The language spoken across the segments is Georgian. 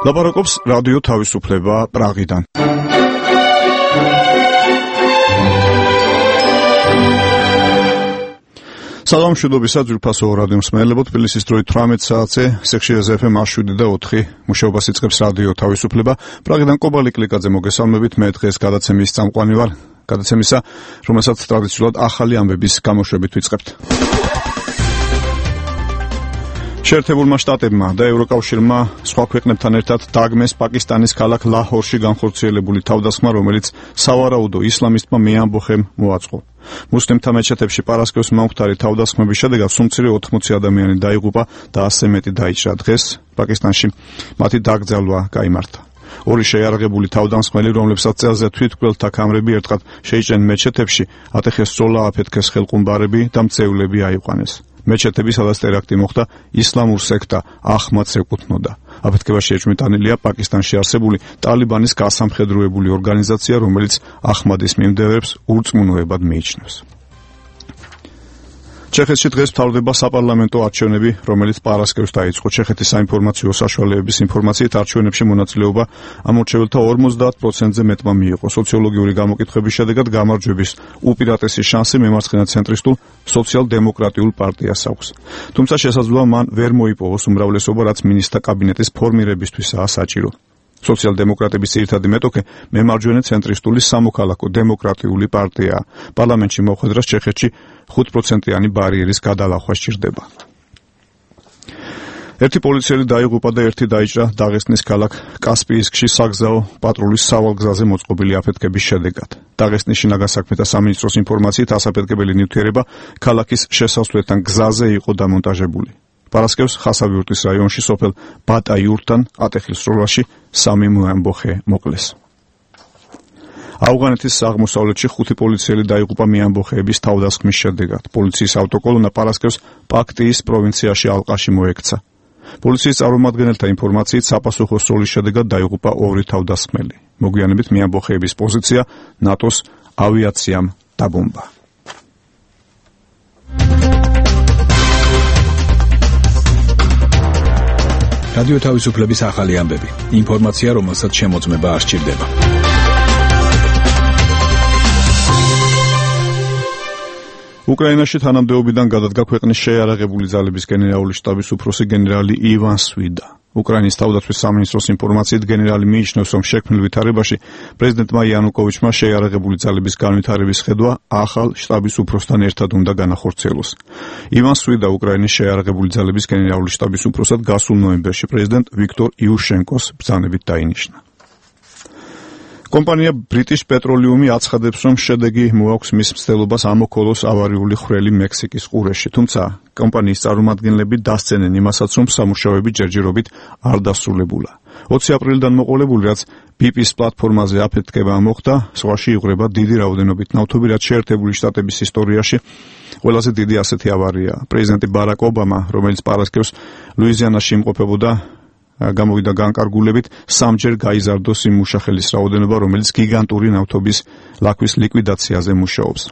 ლაპარაკობს რადიო თავისუფლება პრაღიდან. სალამ მშვიდობისა ძვირფასო რადიო მსმენელებო, თბილისის დროით 18 საათზე სექციაზე FM 7 და 4 მუშაობას იწყებს რადიო თავისუფლება. პრაღიდან კობალი კლიკაძე მოგესალმებით, მე დღეს გადაცემის წამყვანი ვარ. გადაცემისა, რომელსაც ტრადიციულად ახალი ამბების გამოშვებით ვიწყებთ. შეერთებულმა შტატებმა და ევროკავშირმა სხვა ქვეყნებთან ერთად დაგმეს პაკისტანის ქალაქ ლაჰორში განხორციელებული თავდასხმა, რომელიც სავარაუდო ისლამისტმა მეამბოხემ მოაწყო. მუსლიმთა მეჩეთებში პარასკევს მომხდარი თავდასხმების შედეგად სულ მცირე 80 ადამიანი დაიღუპა და 100 მეტი დაიჭრა. დღეს პაკისტანში მათი დაკრძალვა გაიმართა. ორი შეიარაღებული თავდამსხმელი, რომლებსაც წელზე თვითმკვლელთა კამრები ერთხელ შეიჭრნენ მეჩეთებში, ატეხეს სროლა, აფეთქეს ხელყუმბარები და მწევლები აიყვანეს. მეჩეთები, სადაც ტერაქტი მოხდა, ისლამურ სექტა ახმადს ეკუთვნოდა. აფეთქებაში ეჭვმიტანილია პაკისტანში არსებული ტალიბანის გასამხედროებული ორგანიზაცია, რომელიც ახმადის მიმდევრებს ურწმუნოებად მიიჩნევს. ჩეხეთში დღეს მთავრდება საპარლამენტო არჩევნები, რომელიც პარასკევს დაიწყო. ჩეხეთის საინფორმაციო საშუალებების ინფორმაციით, არჩევნებში მონაწილეობა ამორჩეველთა 50%-ზე მეტმა მიიღო. სოციოლოგიური გამოკითხვების შედეგად გამარჯვების უპირატესი შანსი მემარცხენე ცენტრისტულ სოციალ-დემოკრატიულ პარტიას აქვს. თუმცა შესაძლოა მან ვერ მოიპოვოს უმრავლესობა, რაც მინისტრთა კაბინეტის ფორმირებისთვისაა საჭირო. სოციალ-დემოკრატების ძირითადი მეტოქე მემარჯვენე ცენტრისტული სამოქალაქო დემოკრატიული პარტიაა. პარლამენტში მოხვედრას ჩეხეთში 5%-იანი ბარიერის გადალახვა სჭირდება. ერთი პოლიციელი დაიღუპა და ერთი დაიჭრა დაღესტნის ქალაქ კასპიისკში საგზაო პატრულის სავალგზაზე მოწყობილი აფეთქების შედეგად. დაღესტნის შინაგან საქმეთა სამინისტროს ინფორმაციით, ასაფეთქებელი ნივთიერება ქალაქის შესასვლელთან გზაზე იყო დამონტაჟებული. პარასკევს ხასავიურტის რაიონში სოფელ ბატაიურთან ატეხილ სროლაში 3 მეამბოხე მოკლეს. ავღანეთის აღმოსავლეთში 5 პოლიციელი დაიღუპა მეამბოხეების თავდასხმის შედეგად. პოლიციის ავტოკოლონა პარასკევს პაქტიის პროვინციაში ალყაში მოექცა. პოლიციის წარმომადგენელთა ინფორმაციით, საპასუხო სროლის შედეგად დაიღუპა 2 თავდასხმელი. მოგვიანებით მეამბოხეების პოზიცია ნატოს ავიაციამ დაბომბა. რადიო თავისუფლების ახალი ამბები. ინფორმაცია, რომელსაც შემოწმება არ სჭირდება. უკრაინაში თანამდებობიდან გადადგა ქვეყნის შეიარაღებული ძალების გენერალური შტაბის უფროსი გენერალი ივან სვიდა. უკრაინის თავდაცვის სამინისტროს ინფორმაციით, გენერალი მიიჩნევს, რომ შექმნილ ვითარებაში პრეზიდენტმა იანუკოვიჩმა შეიარაღებული ძალების განვითარების ხედვა ახალ შტაბის უფროსთან ერთად უნდა განახორციელოს. ივან სვიდა უკრაინის შეიარაღებული ძალების გენერალური შტაბის უფროსად გასულ ნოემბერში პრეზიდენტ ვიქტორ იუშენკოს ბრძანებით დაინიშნა. კომპანია British Petroleum აცხადებს, რომ შედეგი მოაქვს მის მცდელობას ამოქოლოს ავარიული ხვრელი მექსიკის ყურეში. თუმცა კომპანიის წარმომადგენლები დასცენენ იმასაც, რომ სამუშაოები ჯერჯერობით არ დასრულებულა. 20 აპრილიდან მოყოლებული, რაც BP-ის პლატფორმაზე აფეთქება მოხდა, სხვაში იღვრება დიდი რაოდენობით ნავთობი, რაც შეერთებული შტატების ისტორიაში ყველაზე დიდი ასეთი ავარია. პრეზიდენტი ბარაკ ობამა, რომელიც პარასკევს ლუიზიანაში იმყოფებოდა, გამოვიდა განკარგულებით, 3-ჯერ გაიზარდოს იმ მუშახელის რაოდენობა, რომელიც გიგანტური ნავთობის ლაქვის ლიკვიდაციაზე მუშაობს.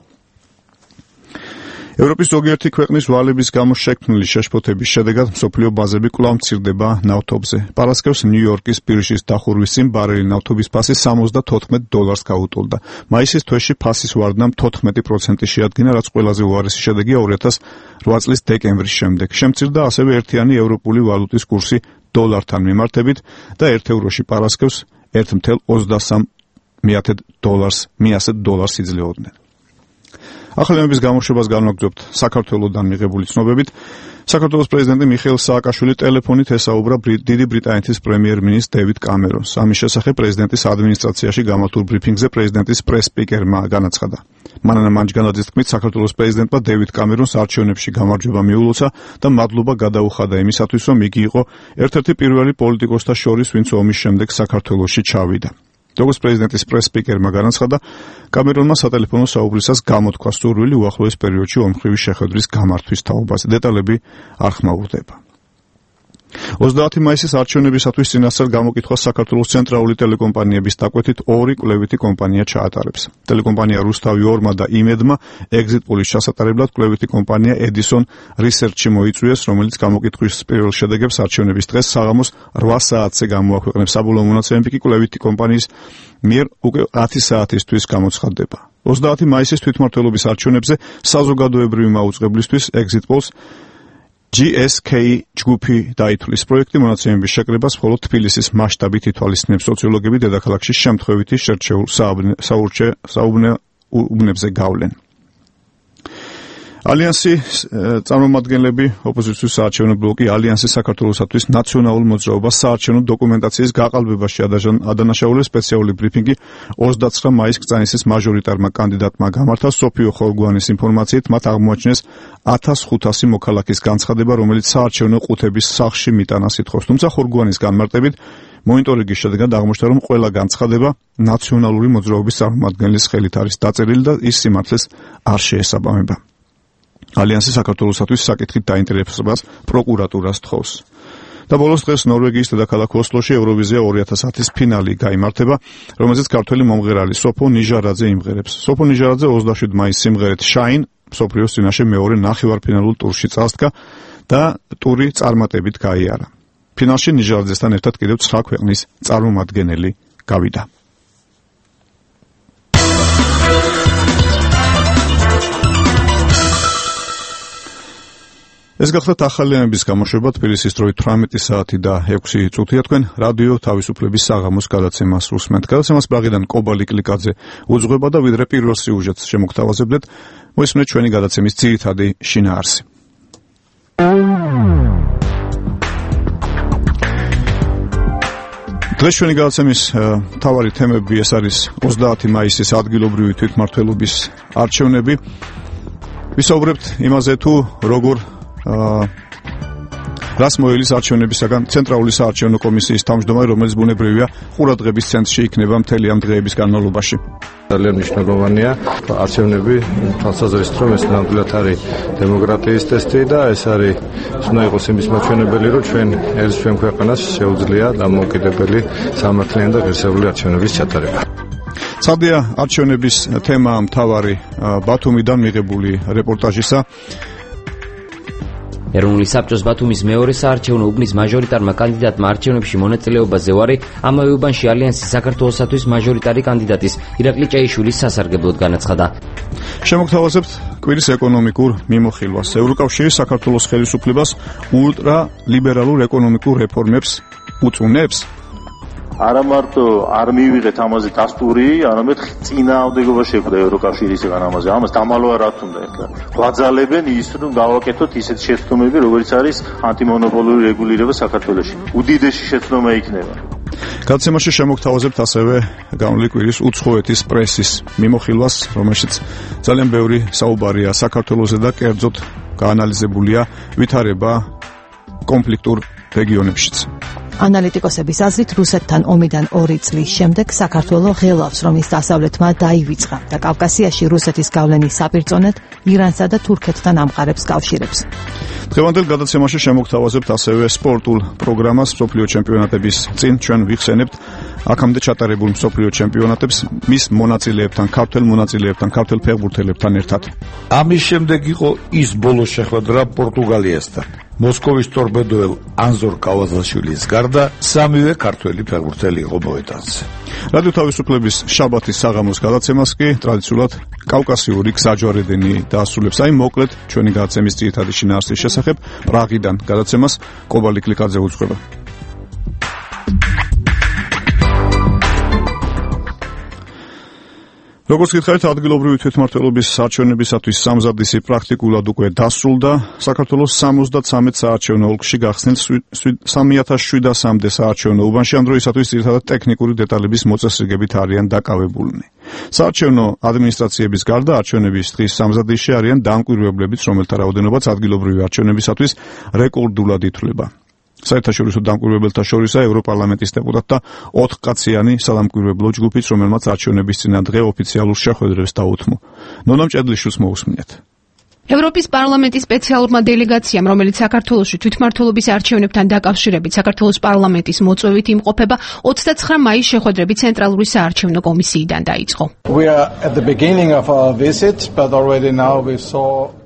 ევროპის ზოგიერთი ქვეყნის ვალების გამო შექმნილი შეშფოთების შედეგად მსოფლიო ბაზები კვლავ მცირდება ნავთობზე. პარასკევს ნიუ-იორკის ბირჟის დახურვის წინ ბარელი ნავთობის ფასი $70 გაუტოლდა. მაისის თვეში ფასის ვარდნამ 14% შეადგინა, რაც ყველაზე უარესი შედეგია 2008 წლის დეკემბრის შემდეგ. შემცირდა ასევე ერთიანი ევროპული ვალუტის კურსი დოლართან მიმართებით და 1 ევროში პარასკევს 1,23 დოლარს იძლეოდნენ. ახალი ამბების გამოშვებას განვაგრძობთ საქართველოსდან მიღებული ცნობებით. საქართველოს პრეზიდენტი მიხეილ სააკაშვილი ტელეფონით ესაუბრა დიდი ბრიტანეთის პრემიერ-მინისტრ დევიდ კამერონს. ამის შესახებ პრეზიდენტის ადმინისტრაციაში გამართულ ბრიფინგზე პრეზიდენტის პრეს-სპიკერმა განაცხადა. მანანა მანჯგანაძის თქმით, საქართველოს პრეზიდენტმა დევიდ კამერონს არჩევნებში გამარჯვება მიულოცა და მადლობა გადაუხადა იმისათვის, რომ იგი იყო ერთ-ერთი პირველი პოლიტიკოსთა შორის, ვინც ომის შემდეგ საქართველოში ჩავიდა. როგორც პრეზიდენტის პრეს-სპიკერმა განაცხადა, კამერონმა სატელეფონო საუბრისას გამოთქვა სურვილი უახლოეს პერიოდში ომხრივი შეხვედრის გამართვის თაობაზე. დეტალები არ ხმაურდება. 30 მაისის არჩევნებისათვის წინასწარ გამოკითხვას საქართველოს ცენტრალური ტელეკომპანიების დაკვეთით ორი კვლევითი კომპანია ჩაატარებს. ტელეკომპანია რუსთავი 2-მა და იმედმა ეგზიტ პოლის ჩასატარებლად კვლევითი კომპანია Edison Research-ი მოიწვიეს, რომელიც გამოკითხვის პირველ შედეგებს არჩევნების დღეს საღამოს 8 საათზე გამოაქვეყნებს. საბოლოო მონაცემები კი კვლევითი კომპანიის მიერ უკვე 10 საათისთვის გამოცხადდება. 30 მაისის თვითმმართველობის არჩევნებზე საზოგადოებრივი მაუწყებლისთვის ეგზიტ პოლს GSK ჯგუფი დაითვლის. პროექტი მონაცემების შეკრებას მხოლოდ თბილისის მასშტაბით ითვალისწინებს. სოციოლოგები დედაქალაქში შემთხვევითი შერჩეულ საუბნებზე გავლენ. ალიანსის წარმომადგენლები ოპოზიციის საარჩევნო ბლოკი ალიანსის საქართველოსათვის ნაციონალურ მოძრაობას საარჩევნო დოკუმენტაციის გაყალბებაში ადანაშაულეს. სპეციალური ბრიფინგი 29 მაისს კრწანისის მაჟორიტარმა კანდიდატმა გამართა. სოფიო ხორგვანის ინფორმაციით მათ აღმოაჩინეს 1500 მოქალაქის განცხადება, რომელიც საარჩევნო ყუთების სახლში მიტანას ითხოვს. თუმცა ხორგვანის განმარტებით მონიტორინგის შედეგად აღმოჩნდა, რომ ყველა განცხადება ნაციონალური მოძრაობის წარმომადგენლის ხელით არის დაწერილი და ის სიმართლეს არ შეესაბამება. ალიანსი საქართველოსათვის საკითხით დაინტერესებას პროკურატურას თხოვს. და ბოლოს დღეს ნორვეგიის დედაქალაქ ოსლოში ევროვიზია 2010-ის ფინალი გაიმართება, რომელზეც ქართველი მომღერალი სოფო ნიჟარაძე იმღერებს. სოფო ნიჟარაძე 27 მაისს სიმღერით Shine მსოფლიოს წინაშე მეორე ნახევარფინალურ ტურში წასდგა და ტური წარმატებით გაიარა. ფინალში ნიჟარაძესთან ერთად კიდევ 9 ქვეყნის წარმომადგენელი გავიდა. ეს გახლავთ ახალიანების გამოშვება. თბილისის დროით 18 საათი და 6 წუთია. თქვენ რადიო თავისუფლების საღამოს გადაცემას უსმენთ. გადაცემას ბაღიდან კობალი კლიკაძე უძღვება და ვიდრე პირველ სიუჟეტს შემოგთავაზებდეთ, მოისმენთ ჩვენი გადაცემის ძირითადი შინაარსი. დღეს ჩვენი გადაცემის მთავარი თემები ეს არის 30 მაისის ადგილობრივი თვითმმართველობის არჩევნები. ვისაუბრებთ იმაზე თუ როგორ რას მოელის არჩევნებისაგან ცენტრალური საარჩევნო კომისიის თავმჯდომარე, რომელიც ბუნებრივია ყურადღების ცენტრში იქნება მთელი ამ დღეების განმავლობაში. ძალიან მნიშვნელოვანია არჩევნები თვალსაზრისით, რომ ეს ნამდვილად არის დემოკრატიის ტესტი და ეს არის უნდა იყოს იმის მაჩვენებელი, რომ ჩვენ ჩვენ ქვეყანას შეუძლია დამოუკიდებელი სამართლიანი და ღირსეული არჩევნების ჩატარება. სამდია არჩევნების თემა მთავარი ბათუმიდან მიღებული რეპორტაჟისა. ეროვნული საბჭოს ბათუმის მეორე საარჩევნო უბნის მაჟორიტარმა კანდიდატმა არჩევნებში მონაწილეობაზე ვარი ამავე უბანში ალიანსის საქართველოსათვის მაჟორიტარი კანდიდატის ირაკლი ჭეიშვილის სასარგებლოდ განაცხადა. შემოგთავაზებთ კვირის ეკონომიკურ მიმოხილვას. ევროკავშირი საქართველოს ხელისუფლებას ულტრალიბერალურ ეკონომიკურ რეფორმებს უწუნებს. არა მარტო არ მივიღეთ ამაზე დასტური, არამედ წინააღმდეგობა შეხვდა ევროკავშირისგან ამაზე. ამას დამალვა რა თქმა უნდა. გვაძალებენ ის, რომ გავაკეთოთ ისეთ შეცდომები, როგორც არის ანტიმონოპოლური რეგულირება საქართველოში. უდიდესი შეცდომა იქნება. გადაცემაში შემოგთავაზებთ ასევე გამოვლილი კვირის უცხოეთის პრესის მიმოხილვას, რომელშიც ძალიან ბევრი საუბარია საქართველოზე და კერძოდ გაანალიზებულია ვითარება კონფლიქტურ რეგიონებშიც. ანალიტიკოსების აზრით, რუსეთთან ომიდან 2 წლის შემდეგ საქართველო ღელავს, რომ ის დასავლეთმა დაივიწყა და კავკასიაში რუსეთის გავლენის საპირწონედ ირანსა და თურქეთთან ამყარებს კავშირებს. დღევანდელ გადაცემაში შემოგთავაზებთ ასევე სპორტულ პროგრამას მსოფლიო ჩემპიონატების წინ. ჩვენ ვიხსენებთ აქამდე ჩატარებულ მსოფლიო ჩემპიონატებს მის მონაწილეებთან, ქართველ მონაწილეებთან, ქართველ ფეხბურთელებთან ერთად. ამის შემდეგ იყო ის ბოლო შეხვედრა პორტუგალიასთან. მოსკოვის ტორპედოელ ანზორ კავაზაშვილის გარდა სამივე ქართველი ფეხბურთელი იყო მოედანზე. რადიო თავისუფლების შაბათის საღამოს გადაცემას კი ტრადიციულად კავკასიური გზაჯვარედინი დაასრულებს. აი მოკლედ ჩვენი გადაცემის ძირითადი შინაარსის შესახებ პრაღიდან გადაცემას კობალი კლიკაძე უძღვება. როგორც გითხარით, ადგილობრივი თვითმმართველობის არჩევნებისათვის სამზადისი პრაქტიკულად უკვე დასრულდა. საქართველოს 73 საარჩევნო ოლქში გახსნილ 3700-მდე საარჩევნო უბანში ამ დროისათვის ძირითადად ტექნიკური დეტალების მოწესრიგებით არიან დაკავებულნი. საარჩევნო ადმინისტრაციების გარდა არჩევნების დღის სამზადისში არიან დამკვირვებლებიც, რომელთა რაოდენობაც ადგილობრივი არჩევნებისათვის რეკორდულად ითვლება. საერთაშორისო დამკვირვებელთა შორისაა ევროპარლამენტის დეპუტატთა 4 კაციანი სადამკვირვებლო ჯგუფიც, რომელმაც არჩევნების წინა დღე ოფიციალურ შეხვედრებს დაუთმო. ნონა მჭედლიშვილს მოусმინეთ. ევროპის პარლამენტის სპეციალურმა დელეგაციამ, რომელიც საქართველოში თვითმმართველობის არჩევნებთან დაკავშირებით საქართველოს პარლამენტის მოწვევით იმყოფება, 29 მაის შეხვედრები ცენტრალური საარჩევნო კომისიიდან დაიწყო.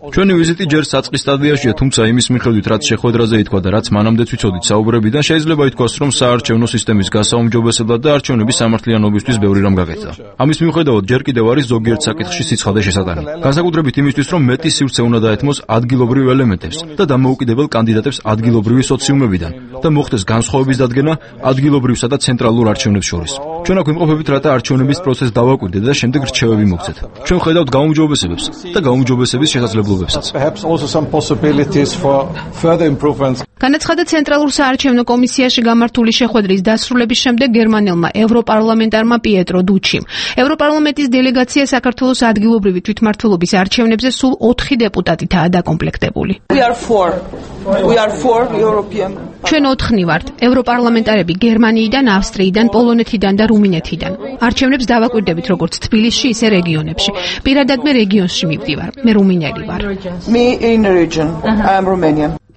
ჩვენი ვიზიტი ჯერ საწყის სტადიაშია, თუმცა იმის მიხედვით, რაც შეხვედრაზე ითქვა და რაც მანამდეც ვიცოდით საუბრებიდან, შეიძლება ითქვას, რომ საარჩევნო სისტემის გასაუმჯობესებლად და არჩევნების სამართლიანობისთვის ბევრი რამ გაკეთა. ამის მიუხედავად, ჯერ კიდევ არის ზოგიერთ საკითხში სიცხადე შესატანი. განსაკუთრებით იმისთვის, რომ მეტი სივრცე უნდა დაეთმოს ადგილობრივ ელემენტებს და დამოუკიდებელ კანდიდატებს ადგილობრივი სოციუმებიდან და მოხდეს განსხვავების დადგენა ადგილობრივსა და ცენტრალურ არჩევნებს შორის. ჩვენ აქ ვიმყოფებით, რათა არჩევნების პროცესს დავაკვირდეთ და შემდეგ რჩევები მოგცეთ. ჩვენ ვხედავთ გაუმჯობესებებს და გაუმჯობესების შესაძლებლობებსაც. განაცხადა ცენტრალურ საარჩევნო კომისიაში გამართული შეხვედრის დასრულების შემდეგ გერმანელმა ევროპარლამენტარმა პიეტრო დუჩიმ. ევროპარლამენტის დელეგაცია საქართველოს ადგილობრივი თვითმმართველობის არჩევნებზე სულ 4 დეპუტატითაა დაკომპლექტებული. ჩვენ 4 ვართ. ევროპარლამენტარები გერმანიიდან, ავსტრიიდან, პოლონეთიდან და რუმინეთიდან. არჩევნებს დავაკვირდებით როგორც თბილისში, ისე რეგიონებში. პირადად მე რეგიონში მივდივარ. მე რუმინელი ვარ.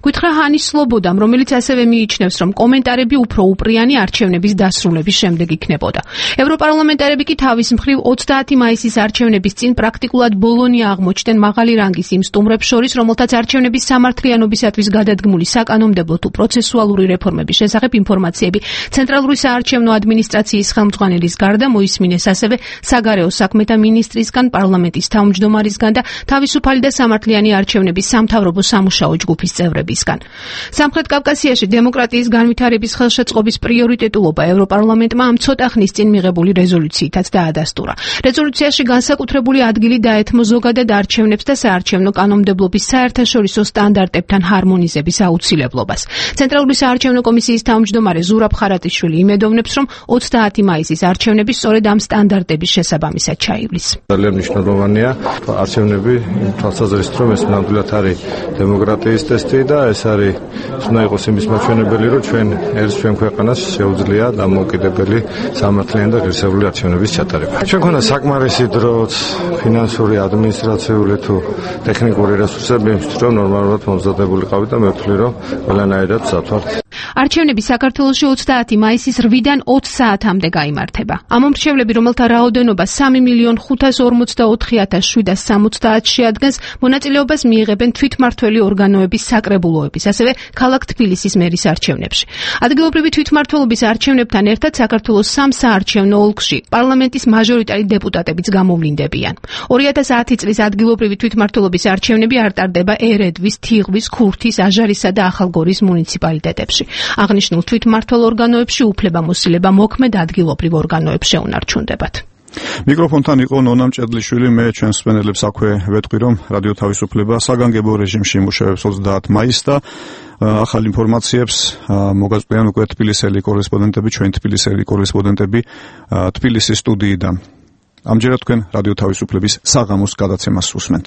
გითხრა ჰანის სლობოდამ, რომელიც ასევე მიიჩნევს, რომ კომენტარები უფრო უპრიანი არჩევნების დასრულების შემდეგ იქნებოდა. ევროპარლამენტარები კი თავის მხრივ 30 მაისის არჩევნების წინ პრაქტიკულად ბოლონია აღმოჩნდნენ მაღალი რანგის იმ სტუმრებს შორის, რომელთაც არჩევნების სამართლიანობისათვის გადადგმული საკანონმდებლო თუ პროცესუალური რეფორმების შესახებ ინფორმაციები ცენტრალური საარჩევნო ადმინისტრაციის ხელმძღვანელის გარდა მოისმინეს ასევე საგარეო საქმეთა მინისტრისგან, პარლამენტის თავმჯდომარისგან და თავისუფალი და სამართლიანი არჩევნების სამთავრობო სამუშაო ჯგუფის წევრები. სამხრეთ კავკასიაში დემოკრატიის განვითარების ხელშეწყობის პრიორიტეტულობა ევროპარლამენტმა ამ ცოტა ხნის წინ მიღებული რეზოლუციითაც დაადასტურა. რეზოლუციაში განსაკუთრებული ადგილი დაეთმო ზოგადად არჩევნებს და საარჩევნო კანონმდებლობის საერთაშორისო სტანდარტებთან ჰარმონიზების აუცილებლობას. ცენტრალური საარჩევნო კომისიის თავმჯდომარე ზურაბ ხარატიშვილი იმედოვნებს, რომ 30 მაისის არჩევნები სწორედ ამ სტანდარტების შესაბამისად ჩაივლის. ძალიან მნიშვნელოვანია არჩევნები თვალსაზრისით, რომ ეს ნამდვილად არის დემოკრატიის ტესტი და ეს არის უნდა იყოს იმის მაჩვენებელი, რომ ჩვენ ქვეყანას შეუძლია დამოუკიდებელი სამართლიანი და ღირსეული არჩევნების ჩატარება. ჩვენ ქონდა საკმარისი დროც, ფინანსური, ადმინისტრაციული თუ ტექნიკური რესურსები იმისთვის, რომ ნორმალურად მომზადებულიყავით და მე ვთვლი, რომ ყველანაირად სათვალთ. არჩევნები საქართველოში 30 მაისის 8-დან 20 საათამდე გაიმართება. ამომრჩევლები, რომელთა რაოდენობა 3,544,770 შეადგენს, მონაწილეობას მიიღებენ თვითმმართველი ორგანოების საკრებულოების, ასევე ქალაქ თბილისის მერის არჩევნებში. ადგილობრივი თვითმმართველობის არჩევნებთან ერთად საქართველოს 3 საარჩევნო ოლქში პარლამენტის მაჟორიტარი დეპუტატებიც გამოვლინდებიან. 2010 წლის ადგილობრივი თვითმმართველობის არჩევნები არ ტარდება ერედვის, თიღვის, ქურთის, აჟარისა და ახალგორის მუნიციპალიტეტებში. აღნიშნულ თვითმმართველ ორგანოებში უფლებამოსილება მოქმედ ადგილობრივ ორგანოებს შეუნარჩუნდებათ. მიკროფონთან იყო ნონა მჭედლიშვილი, მე ჩვენს მსმენელებს აქვე ვეთქვი, რომ რადიო თავისუფლება საგანგებო რეჟიმში იმუშავებს 30 მაისს და ახალ ინფორმაციებს მოგაწყვიან უკვე თბილისელი კორესპონდენტები, ჩვენ თბილისელი კორესპონდენტები თბილისის სტუდიიდან. ამჯერად თქვენ რადიო თავისუფლების საღამოს გადაცემას უსმენთ.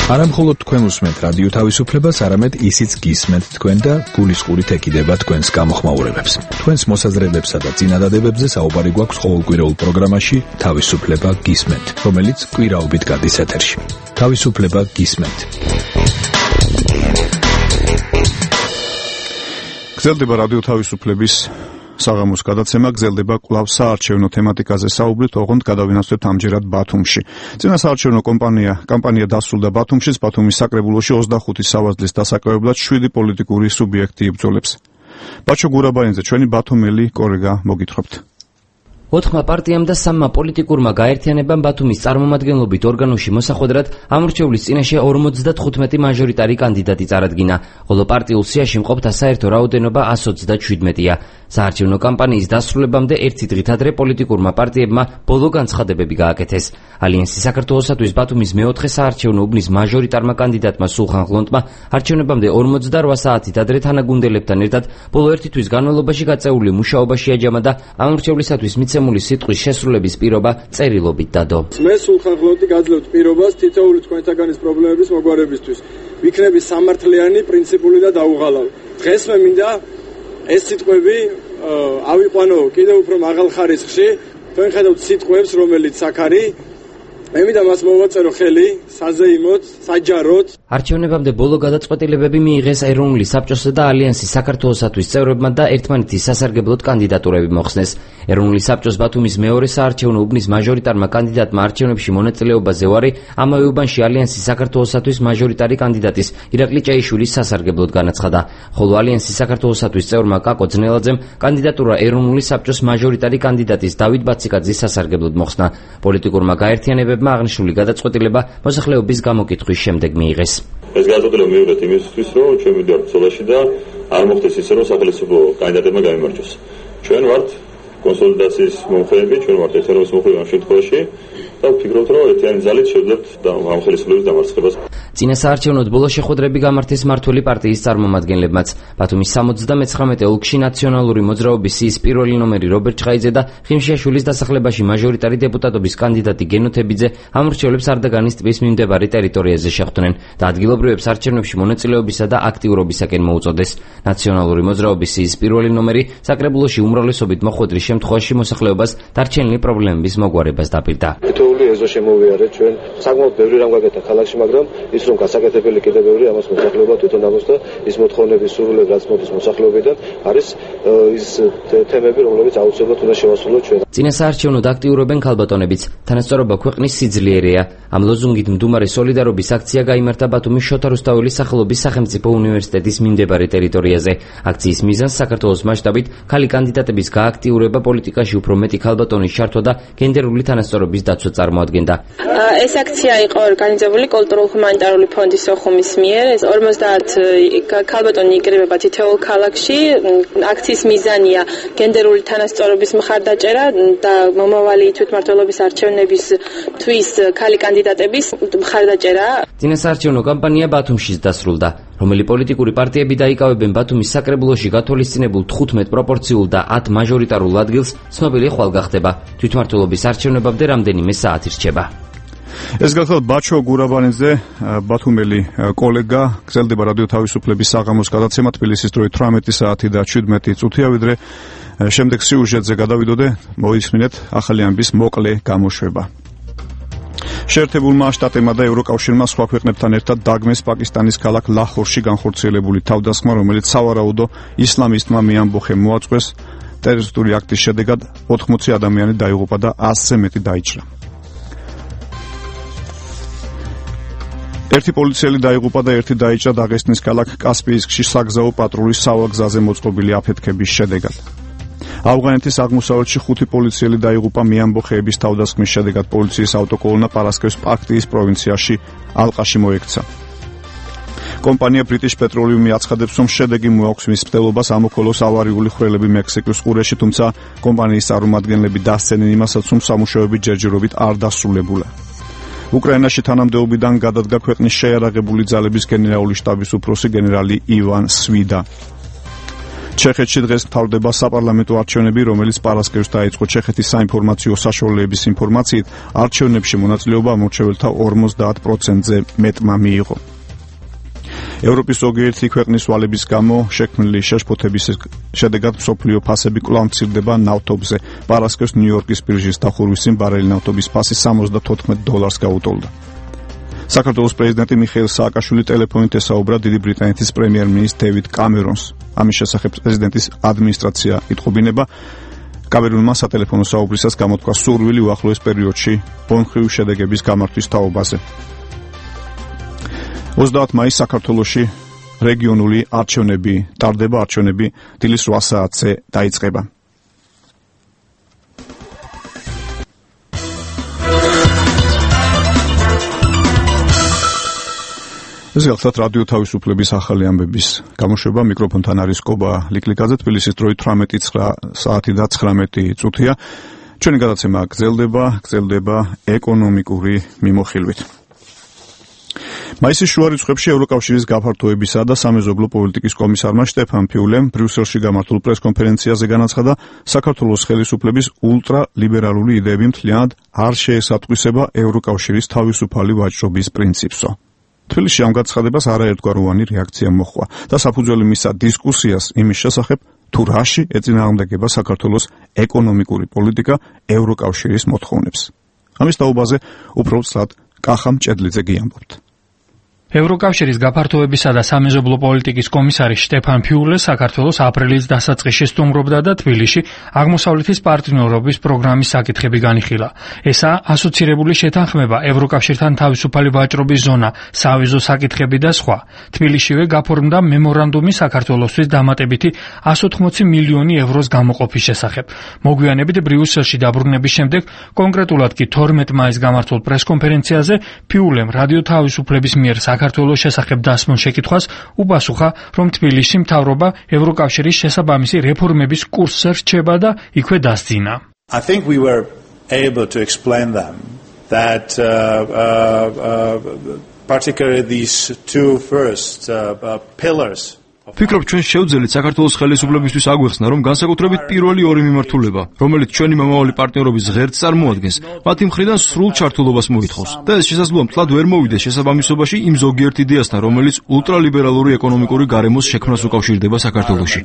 არა მხოლოდ თქვენ უსმენთ რადიო თავისუფლებას, არამედ ისიც გისმენთ თქვენ და გულისყურით ეკიდება თქვენს გამოხმაურებებს. თქვენს მოსაზრებებსა და წინადადებებზე საუბარი გვაქვს ყოველკვირეულ პროგრამაში თავისუფლება გისმენთ, რომელიც კვირაობით გადის ეთერში. თავისუფლება გისმენთ. გრძელდება რადიო თავისუფლების საღამოს გადაცემა, გრძელდება კვლავ საარჩევნო თემატიკაზე საუბრით, ოღონდ გადავინაცვლებთ ამჯერად ბათუმში. წინა საარჩევნო კამპანია დასრულდა ბათუმშიც, ბათუმის საკრებულოში 25 სავარძლის დასაკავებლად 7 პოლიტიკური სუბიექტი იბრძოლებს. ბაჩო გურაბაინძე, ჩვენი ბათუმელი კოლეგა, მოგითხრობთ. 4 პარტიამ და 3 პოლიტიკურმა გაერთიანებამ ბათუმის წარმომადგენლობით ორგანოში მოსახვედრად ამორჩევლის წინაშე 55 მაჟორიტარი კანდიდატი წარადგინა, ხოლო პარტიულ სიაში მყოფთა საერთო რაოდენობა 127-ია. საარჩევნო კამპანიის დასრულებამდე ერთი დღით ადრე პოლიტიკურმა პარტიებმა ბოლო განცხადებები გააკეთეს. ალიანსი საქართველოსათვის ბათუმის მეოთხე საარჩევნო უბნის მაჟორიტარმა კანდიდატმა სულხან ღლონტმა არჩევნებამდე 48 საათით ადრე თანაგუნდელებთან ერთად ბოლო ერთი თვის განმავლობაში გაწეული მუშაობა შეაჯამა და ამორჩევლისათვის მიცემული სიტყვის შესრულების პირობა წერილობით დადო. მე სულხან ღლონტი გაძლევთ პირობას თითოეული თქვენთაგანის პრობლემების მოგვარებისთვის. ვიქნები სამართლიანი, პრინციპული და დაუღალავი. დღეს მე მინდა ეს სიტყვები ავიყვანო კიდევ უფრო მაღალ ხარისხში. თქვენ ხედავთ სიტყვებს, რომელიც აქ არის. ემიდა მას მოვაწერო ხელი საზეიმოდ, საჯაროდ. არჩევნებამდე ბოლო გადაწყვეტილებები მიიღეს ეროვნული საბჭოსა და ალიანსის საქართველოსათვის წევრებმა და ერთმანეთის სასარგებლოდ კანდიდატურები მოხსნეს. ეროვნული საბჭოს ბათუმის მეორე საარჩევნო უბნის მაჟორიტარმა კანდიდატმა არჩევნებში მონაწილეობაზე უარი ამავე უბანში ალიანსის საქართველოსათვის მაჟორიტარი კანდიდატის ირაკლი ჭეიშვილის სასარგებლოდ განაცხადა. ხოლო ალიანსის საქართველოსათვის წევრმა კაკო ძნელაძემ კანდიდატურა ეროვნული საბჭოს მაჟორიტარი კანდიდატის დავით ბაციკაძის სასარგებლოდ მოხსნა. პოლიტიკურმა გაერთიანებებმა აღნიშნული გადაწყვეტილება მოსახლეობის გამოკითხვის შემდეგ მიიღეს. ეს გადაწყვეტილება მივიღეთ იმისთვის, რომ ჩვენ მივიდართ ბრძოლაში და არ მოხდეს ისე, რომ სახელმწიფო კანდიდატებმა გაიმარჯვოს. ჩვენ ვართ კონსოლიდაციის მომხრეები, ჩვენ ვართ ერთიანობის მომხრეები ამ შემთხვევაში და ვფიქრობთ, რომ ერთიანი ძალით შევძლებთ ამ ხელისუფლების დამარცხებას. წინა საარჩევნოდ ბოლო შეხვედრები გამართეს მართველი პარტიის წარმომადგენლებმაც. ბათუმის 79 ოლქში ნაციონალური მოძრაობის სიის პირველი ნომერი რობერტ ჩხაიძე და ხიმშიაშვილის დასახლებაში მაჟორიტარი დეპუტატობის კანდიდატი გენო თებიძე ამორჩევლებს არდაგანის ტბის მიმდებარე ტერიტორიაზე შეხვდნენ და ადგილობრივებს არჩევნებში მონაწილეობისა და აქტიურობისაკენ მოუწოდეს. ნაციონალური მოძრაობის სიის პირველი ნომერი საკრებულოში უმრავლესობით მოხვედრის შემთხვევაში მოსახლეობას დარჩენილი პრობლემების მოგვარებას დაპირდა. თითოეული ეზო შემოვიარეთ ჩვენ საკმაოდ ბევრი რამ გაკეთა ქალაქში, მაგრამ ის რომ გასაკეთებელი კიდევ ბევრი ამას მოსახლეობა თვითონ ამბობს და ის მოთხოვნების სურვილები რაც მოდის მოსახლეობიდან არის ის თემები რომლებიც აუცილებლად უნდა შევასრულოთ ჩვენ. წინა საარჩევნოდ აქტიურობენ ქალბატონებიც. თანასწორობა ქვეყნის სიძლიერეა. ამ ლოზუნგით მდუმარე სოლიდარობის აქცია გაიმართა ბათუმის შოთა რუსთაველის სახელობის სახელმწიფო უნივერსიტეტის მიმდებარე ტერიტორიაზე. აქციის მიზანს საქართველოს მასშტაბით ქალი კანდიდატების გააქტიურება, პოლიტიკაში უფრო მეტი ქალბატონის ჩართვა და გენდერული თანასწორობის დაცვა წარმოადგენდა. ეს აქცია იყო ორგანიზებული კულტურულ-ჰუმანიტარული ფონდის ოხუმის მიერ. 50 ქალბატონი იკრიბება თითოეულ ქალაქში. აქციის მიზანია გენდერული თანასწორობის მხარდაჭერა და მომავალი თვითმმართველობის არჩევნებისთვის ქალი კანდიდატების მხარდაჭერა. წინა საარჩევნო კამპანია ბათუმშიც დასრულდა. რომელი პოლიტიკური პარტიები დაიკავებენ ბათუმის საკრებულოში გათვალისწინებულ 15 პროპორციულ და 10 მაჟორიტარულ ადგილს, ცნობილი ხვალ გახდება. თვითმმართველობის არჩევნებამდე რამდენიმე საათი რჩება. ეს გახლავთ ბაჩო გურაბანიძე, ბათუმელი კოლეგა, გრძელდება რადიო თავისუფლების საღამოს გადაცემა თბილისის დროით 18 საათი და 17 წუთია, ვიდრე შემდეგ სიუჟეტზე გადავიდოდე, მოისმინეთ ახალი ამბის მოკლე გამოშვება. შეერთებულმა შტატებმა და ევროკავშირმა სხვა ქვეყნებთან ერთად დაგმეს პაკისტანის ქალაქ ლაჰორში განხორციელებული თავდასხმა, რომელიც სავარაუდო ისლამისტმა მეამბოხემ მოაწყვეს. ტერორისტული აქტის შედეგად 80 ადამიანი დაიღუპა და 100-ზე მეტი დაიჭრა. ერთი პოლიციელი დაიღუპა და ერთი დაიჭრა დაღესტნის ქალაქ კასპიისკში საგზაო პატრულის სავაგზაზე მოწყობილი აფეთქების შედეგად. ავღანეთის აღმოსავლეთში 5 პოლიციელი დაიღუპა მეამბოხეების თავდასხმის შედეგად. პოლიციის ავტოკოლონა პარასკევს პაქტიის პროვინციაში ალყაში მოექცა. კომპანია British Petroleum აცხადებს, რომ შედეგი მოაქვს მის მცდელობას ამოქოლოს ავარიული ხვრელები მექსიკის ყურეში, თუმცა კომპანიის წარმომადგენლები დასცენენ იმასაც, რომ სამუშაოები ჯერჯერობით არ დასრულებულა. უკრაინაში თანამდებობიდან გადადგა ქვეყნის შეიარაღებული ძალების გენერალური შტაბის უფროსი გენერალი ივან სვიდა. ჩეხეთში დღეს მთავრდება საპარლამენტო არჩევნები, რომელიც პარასკევს დაიწყო. ჩეხეთის საინფორმაციო საშუალებების ინფორმაციით, არჩევნებში მონაწილეობა ამორჩეველთა 50%-ზე მეტმა მიიღო. ევროპის ზოგიერთი ქვეყნის ვალების გამო შექმნილი შეშფოთების შედეგად მსოფლიო ფასები კვლავ მცირდება ნავთობზე. პარასკევს ნიუ-იორკის ბირჟის დახურვის წინ ბარელი ნავთობის ფასი $74 გაუტოლდა. საქართველოს პრეზიდენტი მიხეილ სააკაშვილი ტელეფონით ესაუბრა დიდი ბრიტანეთის პრემიერ-მინისტრ დევიდ კამერონს. ამის შესახებ პრეზიდენტის ადმინისტრაცია იტყობინება. კამერონმა სატელეფონო საუბრისას გამოთქვა სურვილი უახლოეს პერიოდში ბონხრივი შედეგების გამართვის თაობაზე. 30 მაისს საქართველოში რეგიონული არჩევნები ტარდება. არჩევნები დილის 8 საათზე დაიწყება. ეს გახლავთ რადიო თავისუფლების ახალი ამბების გამოშვება. მიკროფონთან არის კობა ლიკლიკაძე. თბილისის დროით 18 საათი და 19 წუთია. ჩვენი გადაცემა გრძელდება ეკონომიკური მიმოხილვით. მაისის შუა რიცხვებში ევროკავშირის გაფართოებისა და სამეზობლო პოლიტიკის კომისარმა შტეფან ფიულემ ბრიუსელში გამართულ პრესკონფერენციაზე განაცხადა, საქართველოს ხელისუფლების ულტრალიბერალური იდეები მთლიანად არ შეესატყვისება ევროკავშირის თავისუფალი ვაჭრობის პრინციპსო. თბილისში ამ განცხადებას არაერთგვაროვანი რეაქცია მოჰყვა და საფუძველი მისცა დისკუსიას იმის შესახებ, თუ რაში ეწინააღმდეგება საქართველოს ეკონომიკური პოლიტიკა ევროკავშირის მოთხოვნებს. ამის დაობაზე უფრო სწრაფად კახა მჭედლიძე გიამბობთ. ევროკავშირის გაფართოებისა და სამეზობლო პოლიტიკის კომისარი შტეფან ფიულე საქართველოს აპრილის დასაწყისში სტუმრობდა და თბილისში აღმოსავლეთის პარტნიორობის პროგრამის საკითხები განიხილა. ესაა ასოცირებული შეთანხმება, ევროკავშირთან თავისუფალი ვაჭრობის ზონა, სავიზო საკითხები და სხვა. თბილისშივე გაფორმდა მემორანდუმი საქართველოსთვის დამატებითი 180 მილიონი ევროს გამოყოფის შესახებ. მოგვიანებით ბრიუსელში დაბრუნების შემდეგ, კონკრეტულად კი 12 მაისს გამართულ პრესკონფერენციაზე ფიულემ რადიო თავისუფლების მიერ საქართველოს შესახებ დასმულ შეკითხვას უპასუხა, რომ თბილისში მთავრობა ევროკავშირის შესაბამისი რეფორმების კურსზე რჩება და იქვე დასძინა. I think we were able to explain them that particularly these two first pillars. ვფიქრობ, ჩვენ შევძელით საქართველოს ხელისუფლებისთვის აგვეხსნა, რომ განსაკუთრებით პირველი ორი მიმართულება, რომელიც ჩვენი მომავალი პარტნიორობის ღერძს წარმოადგენს, მათი მხრიდან სრულ ჩართულობას მოითხოვს. და ეს შესაძლოა მთლად ვერ მოვიდეს შესაბამისობაში იმ ზოგიერთ იდეასთან, რომელიც ულტრალიბერალური ეკონომიკური გარემოს შექმნას უკავშირდება საქართველოში.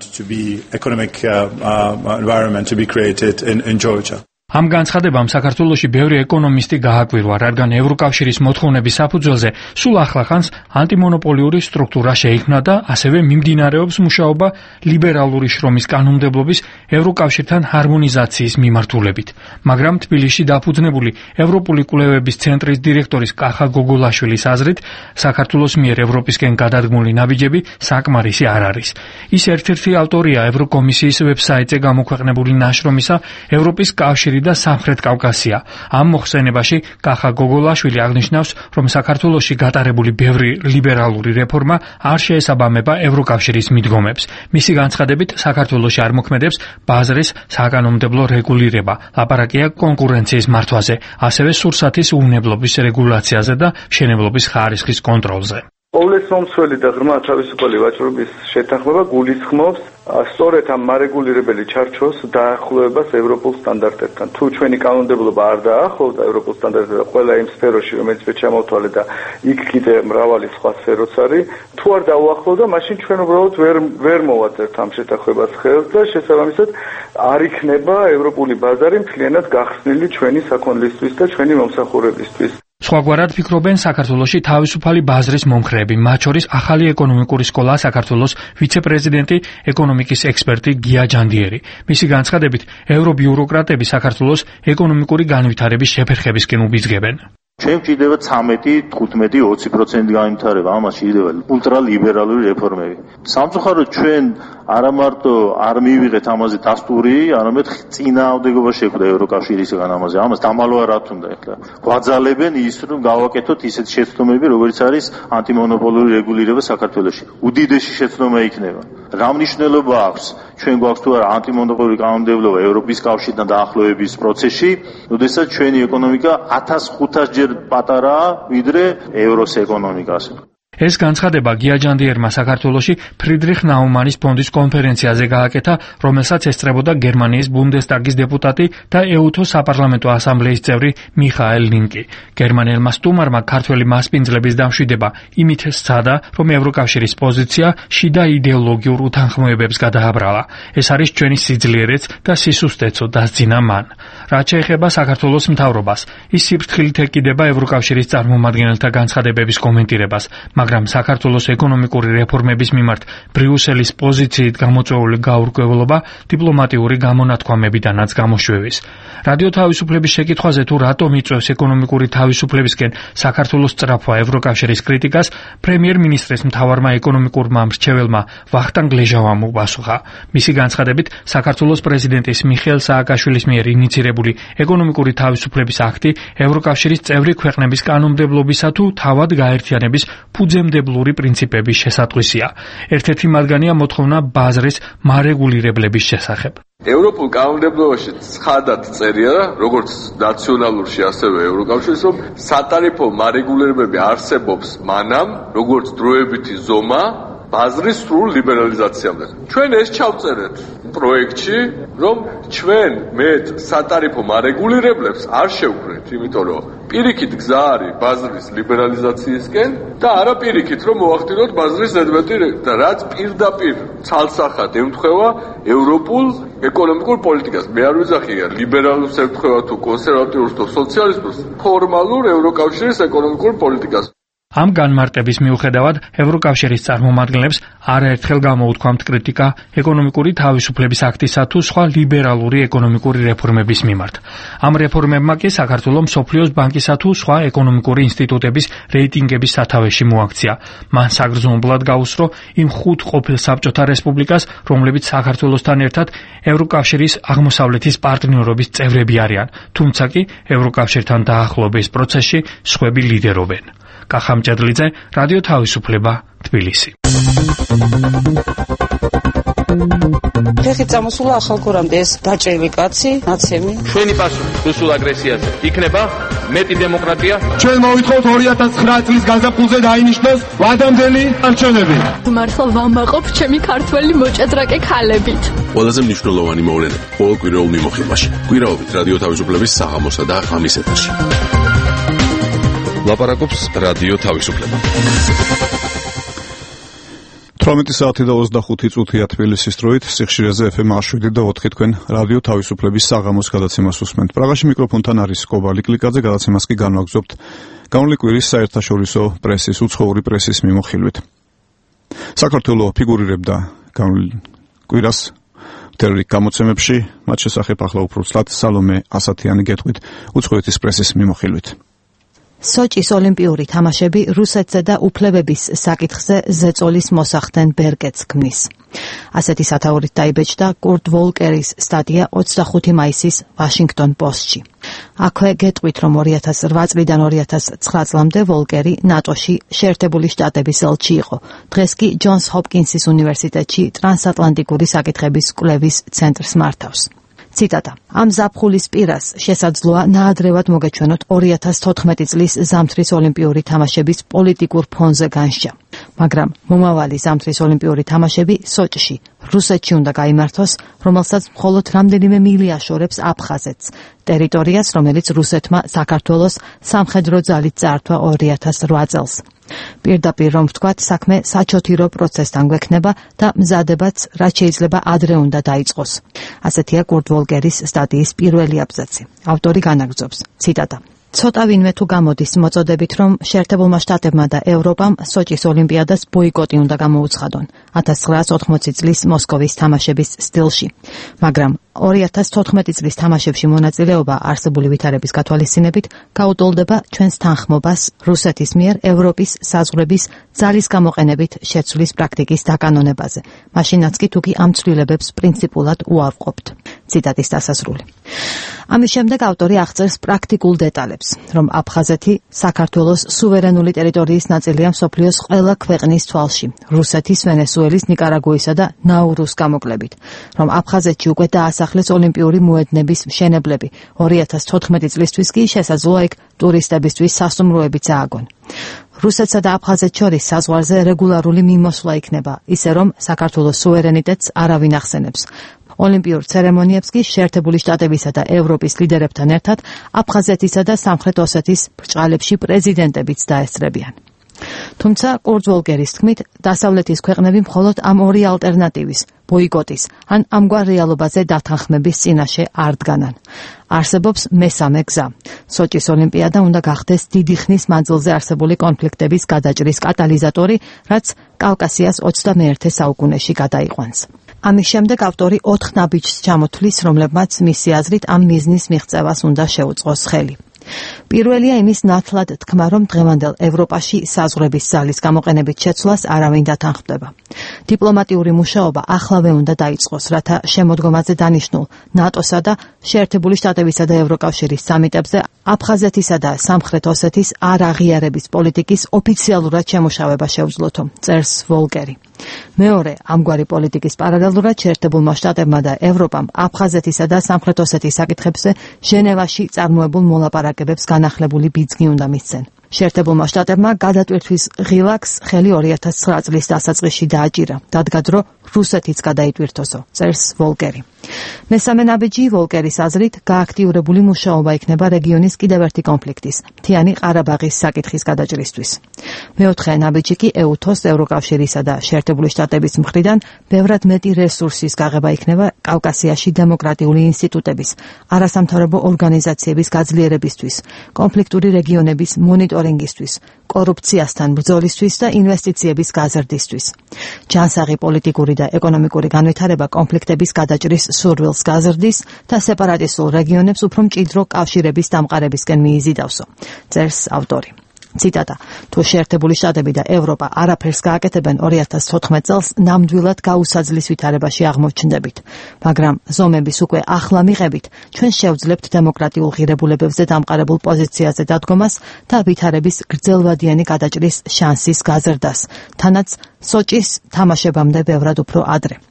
ამ განცხადებამ საქართველოში ბევრი ეკონომისტი გააკვირვა, რადგან ევროკავშირის მოთხოვნების საფუძველზე სულ ახლახანს ანტიმონოპოლიური სტრუქტურა შეიქმნა და ასევე მიმდინარეობს მუშაობა ლიბერალური შრომის კანონმდებლობის ევროკავშირთან ჰარმონიზაციის მიმართულებით. მაგრამ თბილისში დაფუძნებული ევროპული კვლევების ცენტრის დირექტორის კახა გოგოლაშვილის აზრით, საქართველოს მიერ ევროპისკენ გადადგმული ნაბიჯები საკმარისი არ არის. ის ერთ-ერთი ავტორია ევროკომისიის ვებსაიტზე გამოქვეყნებული ნაშრომისა ევროპის კავშირი და სამხრეთ კავკასია. ამ მოხსენებაში კახა გოგოლაშვილი აღნიშნავს, რომ საქართველოში გატარებული ბევრი ლიბერალური რეფორმა არ შეესაბამება ევროკავშირის მიდგომებს. მისი განცხადებით, საქართველოში არ მოქმედებს ბაზრის საკანონმდებლო რეგულირება, ლაპარაკია კონკურენციის მართვაზე, ასევე სურსათის უვნებლობის რეგულაციაზე და მშენებლობის ხარისხის კონტროლზე. ყოვლესმომცველი და ღრმა თავისუფალი ვაჭრობის შეთანხმება გულისხმობს სწორედ ამ მარეგულირებელი ჩარჩოს დაახლოებას ევროპულ სტანდარტებთან. თუ ჩვენი კანონმდებლობა არ დაახლოვდა ევროპულ სტანდარტებთან ყველა იმ სფეროში, რომელიც ჩამოვთვალე და იქ კიდე მრავალი სხვა სფეროც არის, თუ არ დაუახლოვდა, მაშინ ჩვენ უბრალოდ ვერ მოვაწერთ ამ შეთანხმებას ხელს და შესაბამისად არ იქნება ევროპული ბაზარი მთლიანად გახსნილი ჩვენი საქონლისთვის და ჩვენი მომსახურებისთვის. სხვაგვარად ფიქრობენ საქართველოში თავისუფალი ბაზრის მომხრეები, მათ შორის ახალი ეკონომიკური სკოლა საქართველოს ვიცე-პრეზიდენტი, ეკონომიკის ექსპერტი გია ჯანდიერი. მისი განცხადებით, ევრობიუროკრატები საქართველოს ეკონომიკური განვითარების შეფერხებისკენ უბიძგებენ. ჩვენ ვჭირდება 13, 15, 20% განვითარება, ამას შეიძლება ულტრალიბერალური რეფორმები. სამწუხაროდ ჩვენ არა მარტო არ მივიღეთ ამაზე დასტური, არამედ წინააღმდეგობა შეხვდა ევროკავშირისგან ამაზე. ამას დამალვა რა თუნდა ახლა. გვაძალებენ ის, რომ გავაკეთოთ ისეთ შეცდომები, როგორც არის ანტიმონოპოლიური რეგულირება საქართველოში. უდიდესი შეცდომა იქნება. რა მნიშვნელობა აქვს? ჩვენ გვაქვს თუ არა ანტიმონოპოლიური კანონმდებლობა ევროპის კავშირთან დაახლოების პროცესში, როდესაც ჩვენი ეკონომიკა 1500 ჯერ პატარაა ვიდრე ევროს ეკონომიკას. ეს განცხადება გია ჯანდიერმა საქართველოში ფრიდრიხ ნაუმანის ფონდის კონფერენციაზე გააკეთა, რომელსაც ესწრებოდა გერმანიის ბუნდესტაგის დეპუტატი და ეუთო საპარლამენტო ასამბლეის წევრი მიხაელ ლინკი. გერმანელმა სტუმარმა ქართველი მასპინძლების დამშვიდება იმით სცადა, რომ ევროკავშირის პოზიცია შიდა იდეოლოგიურ უთანხმოებებს გადააბრალა. ეს არის ჩვენი სიძლიერეც და სისუსტეცო, დასძინა მან. რაც შეეხება საქართველოს მთავრობას, ის სიფრთხილით ეკიდება ევროკავშირის წარმომადგენელთა განცხადებების კომენტირებას. მაგრამ საქართველოს ეკონომიკური რეფორმების მიმართ ბრიუსელის პოზიციით გამოწვეული გაურკვევლობა დიპლომატიური გამონათქვამებიდანაც გამოშვევის. რადიო თავისუფლების შეკითხვაზე თუ რატომ იწვევს ეკონომიკური თავისუფლებისკენ საქართველოს სწრაფვა ევროკავშირის კრიტიკას, პრემიერ-მინისტრის მთავარმა ეკონომიკურმა მრჩეველმა ვახტანგ ლეჟავამ უპასუხა. მისი განცხადებით, საქართველოს პრეზიდენტის მიხეილ სააკაშვილის მიერ ინიცირებული ეკონომიკური თავისუფლების აქტი ევროკავშირის წევრი ქვეყნების კანონმდებლობისა თუ თავად გაერთიანების ფუძემდებლური პრინციპების შესატყვისია. ერთ-ერთი მათგანია მოთხოვნა ბაზრის მარეგულირებლების შესახებ. ევროპულ კანონმდებლობაში ცხადად წერია, როგორც ნაციონალურში, ასევე ევროკავშირის, რომ სატარიფო მარეგულირებები არსებობს მანამ, როგორც დროებითი ზომა ბაზრის სრულ ლიბერალიზაციამდე. ჩვენ ეს ჩავწერეთ პროექტში, რომ ჩვენ მეტ სატარიფო მარეგულირებლებს არ შევქმნით, იმიტომ რომ პირიქით გზა არის ბაზრის ლიბერალიზაციისკენ და არა პირიქით რომ მოახდინოთ ბაზრის ზედმეტი და რაც პირდაპირ ცალსახად ემთხვევა ევროპულ ეკონომიკურ პოლიტიკას. მე არ ვიძახია ლიბერალურს ემთხვევა თუ კონსერვატიულს თუ სოციალისტურს, ფორმალურ ევროკავშირის ეკონომიკურ პოლიტიკას. ამ განმარტების მიუხედავად ევროკავშირის წარმომადგენლებს არაერთხელ გამოუთქვამთ კრიტიკა ეკონომიკური თავისუფლების აქტისა თუ სხვა ლიბერალური ეკონომიკური რეფორმების მიმართ. ამ რეფორმებმა კი საქართველოს მსოფლიოს ბანკისა თუ სხვა ეკონომიკური ინსტიტუტების რეიტინგების სათავეში მოაქცია. მან საგრძნობლად გაუსწრო იმ 5 ყოფილ საბჭოთა რესპუბლიკას, რომლებიც საქართველოსთან ერთად ევროკავშირის აღმოსავლეთის პარტნიორობის წევრები არიან, თუმცა კი ევროკავშირთან დაახლოების პროცესში სხვები ლიდერობენ. კახამჭედლიძე, რადიო თავისუფლება, თბილისი. ფეხით წამოსულა ახალგორამდე ეს დაჭრილი კაცი, ნაცემი. ჩვენი პასუხი რუსულ აგრესიაზე იქნება მეტი დემოკრატია. ჩვენ მოვითხოვთ 2009 წლის გაზაფხულზე დაინიშნოს ვადამდელი არჩევნები. მართლა ვამაყობ ჩემი ქართველი მოჭადრაკე ქალებით. ყველაზე მნიშვნელოვანი მოვლენა ყოველ კვირაულ მიმოხილვაში. კვირაობით რადიო თავისუფლების საღამოსა და ღამის ეთერში. ლაპარაკობს რადიო თავისუფლება. 18 საათი და 25 წუთია თბილისის დროით, სიხშირეზე FM 7 და 4 თქვენ რადიო თავისუფლების საღამოს გადაცემას უსმენთ. პრაღაში მიკროფონთან არის კობალი კლიკაძე, გადაცემას კი განვაგრძობთ განვლილი კვირის საერთაშორისო პრესის უცხოური პრესის მიმოხილვით. საქართველო ფიგურირებდა განვლილ კვირას მთელ გამოცემებში, მათ შესახებ ახლა უფრო ცლად სალომე ასათიანი გეტყვით უცხოეთის პრესის მიმოხილვით. სოჭის ოლიმპიური თამაშები რუსეთზე და უფლებების საკითხზე ზეწოლის მოსახდენ ბერგეტს ქმნის. ასეთი სათაურით დაიბეჭდა კურტ ვოლკერის სტატია 25 მაისის ვაშინგტონ პოსტში. აქვე გეტყვით, რომ 2008 წლიდან 2009 წლამდე ვოლკერი ნატოში შეერთებული შტატების ელჩი იყო. დღეს კი ჯონს ჰოპკინსის უნივერსიტეტში ტრანსატლანტიკური საკითხების კვლევის ცენტრს მართავს. ციტატა. ამ ზაფხულის პირას შესაძლოა ნაადრევად მოგეჩვენოთ 2014 წლის ზამთრის ოლიმპიური თამაშების პოლიტიკურ ფონზე განსჯა. მაგრამ მომავალი ზამთრის ოლიმპიური თამაშები სოჭში, რუსეთში უნდა გაიმართოს, რომელსაც მხოლოდ რამდენიმე მილი აშორებს აფხაზეთს, ტერიტორიას, რომელიც რუსეთმა საქართველოს სამხედრო ძალით წაართვა 2008 წელს. პირდაპირ რომ ვთქვათ, საქმე საჩოთირო პროცესთან გვექნება და მზადებაც რაც შეიძლება ადრე უნდა დაიწყოს. ასეთია კურტ ვოლკერის სტატიის პირველი აბზაცი. ავტორი განაგრძობს, ციტატა. ცოტა ვინმე თუ გამოდის მოწოდებით, რომ შეერთებულმა შტატებმა და ევროპამ სოჭის ოლიმპიადას ბოიკოტი უნდა გამოუცხადონ 1980 წლის მოსკოვის თამაშების სტილში. მაგრამ 2014 წლის თამაშებში მონაწილეობა არსებული ვითარების გათვალისწინებით გაუტოლდება ჩვენს თანხმობას რუსეთის მიერ ევროპის საზღვრების ძალის გამოყენებით შეცვლის პრაქტიკის დაკანონებაზე. მაშინაც კი თუკი ამ ცვლილებებს პრინციპულად უარყოფთ. ციტატის დასასრული. ამის შემდეგ ავტორი აღწერს პრაქტიკულ დეტალებს, რომ აფხაზეთი საქართველოს სუვერენული ტერიტორიის ნაწილია მსოფლიოს ყველა ქვეყნის თვალში, რუსეთის, ვენესუელის, ნიკარაგუისა და ნაურუს გამოკლებით, რომ აფხაზეთში უკვე დაასახლეს ოლიმპიური მოედნების მშენებლები, 2014 წლისთვის კი შესაძლოა იქ ტურისტებისთვის სასტუმროებიც ააგონ. რუსეთსა და აფხაზეთს შორის საზღვარზე რეგულარული მიმოსვლა იქნება, ისე რომ საქართველოს სუვერენიტეტს არავინ ახსენებს. ოლიმპიურ ცერემონიებს კი შეერთებული შტატებისა და ევროპის ლიდერებთან ერთად აფხაზეთისა და სამხრეთ ოსეთის ბრჭყალებში პრეზიდენტებიც დაესწრებიან. თუმცა კურტ ვოლკერის თქმით, დასავლეთის ქვეყნები მხოლოდ ამ ორი ალტერნატივის, ბოიკოტის ან ამგვარ რეალობაზე დათანხმების წინაშე არ დგანან. არსებობს მესამე გზა. სოჭის ოლიმპიადა უნდა გახდეს დიდი ხნის მანძილზე არსებული კონფლიქტების გადაჭრის კატალიზატორი, რაც კავკასიას 21 საუკუნეში გადაიყვანს. ამის შემდეგ ავტორი 4 ნაბიჯს ჩამოთვლის, რომლებმაც მისი აზრით ამ მიზნის მიღწევას უნდა შეუწყოს ხელი. პირველია იმის ნათლად თქმა, რომ დღევანდელ ევროპაში საზღვრების ძალის გამოყენებით შეცვლას არავინ დათანხმდება. დიპლომატიური მუშაობა ახლავე უნდა დაიწყოს, რათა შემოდგომაზე დანიშნულ ნატოსა და შეერთებული შტატებისა და ევროკავშირის სამიტებზე აფხაზეთისა და სამხრეთ ოსეთის არ აღიარების პოლიტიკის ოფიციალურად შემუშავება შეუძლოთო, წერს ვოლკერი. მეორე, ამგვარი პოლიტიკის პარალელურად შეერთებულმა შტატებმა და ევროპამ აფხაზეთისა და სამხრეთ ოსეთის საკითხებზე ჟენევაში წარმოებულ მოლაპარაკებებს განახლებული ბიძგი უნდა მისცენ. შეერთებულმა შტატებმა გადატვირთვის ღილაკს ხელი 2009 წლის დასაწყისში დააჭირა. დადგა დრო რუსეთიც გადაიტვირთოსო, წერს ვოლკერი. მესამე ნაბიჯი ვოლკერის აზრით გააქტიურებული მუშაობა იქნება რეგიონის კიდევ ერთი კონფლიქტის, მთიანი ყარაბაღის საკითხის გადაჭრისთვის. მეოთხე ნაბიჯი კი EUTOS ევროკავშირისა და შეერთებული შტატების მხრიდან ბევრად მეტი რესურსის გაღება იქნება კავკასიაში დემოკრატიული ინსტიტუტების, არასამთავრობო ორგანიზაციების გაძლიერებისთვის, კონფლიქტური რეგიონების მონიტორინგისთვის, კორუფციასთან ბრძოლისთვის და ინვესტიციების გაზრდისთვის. ჯანსაღი პოლიტიკური და ეკონომიკური განვითარება კონფლიქტების გადაჭრის სურვილს გაზრდის და სეპარატისტულ რეგიონებს უფრო მჭიდრო კავშირების დამყარებისკენ მიიზიდავსო, წერს ავტორი. ციტატა: თუ შეერთებული შტატები და ევროპა არაფერს გააკეთებენ 2014 წელს ნამდვილად გაუსაძლის ვითარებაში აღმოჩნდებით, მაგრამ ზომების უკვე ახლა მიღებით, ჩვენ შევძლებთ დემოკრატიულ ღირებულებებზე დამყარებულ პოზიციაზე დადგომას და ვითარების გრძელვადიანი გადაჭრის შანსის გაზრდას, თანაც სოჭის თამაშებამდე ბევრად უფრო ადრე.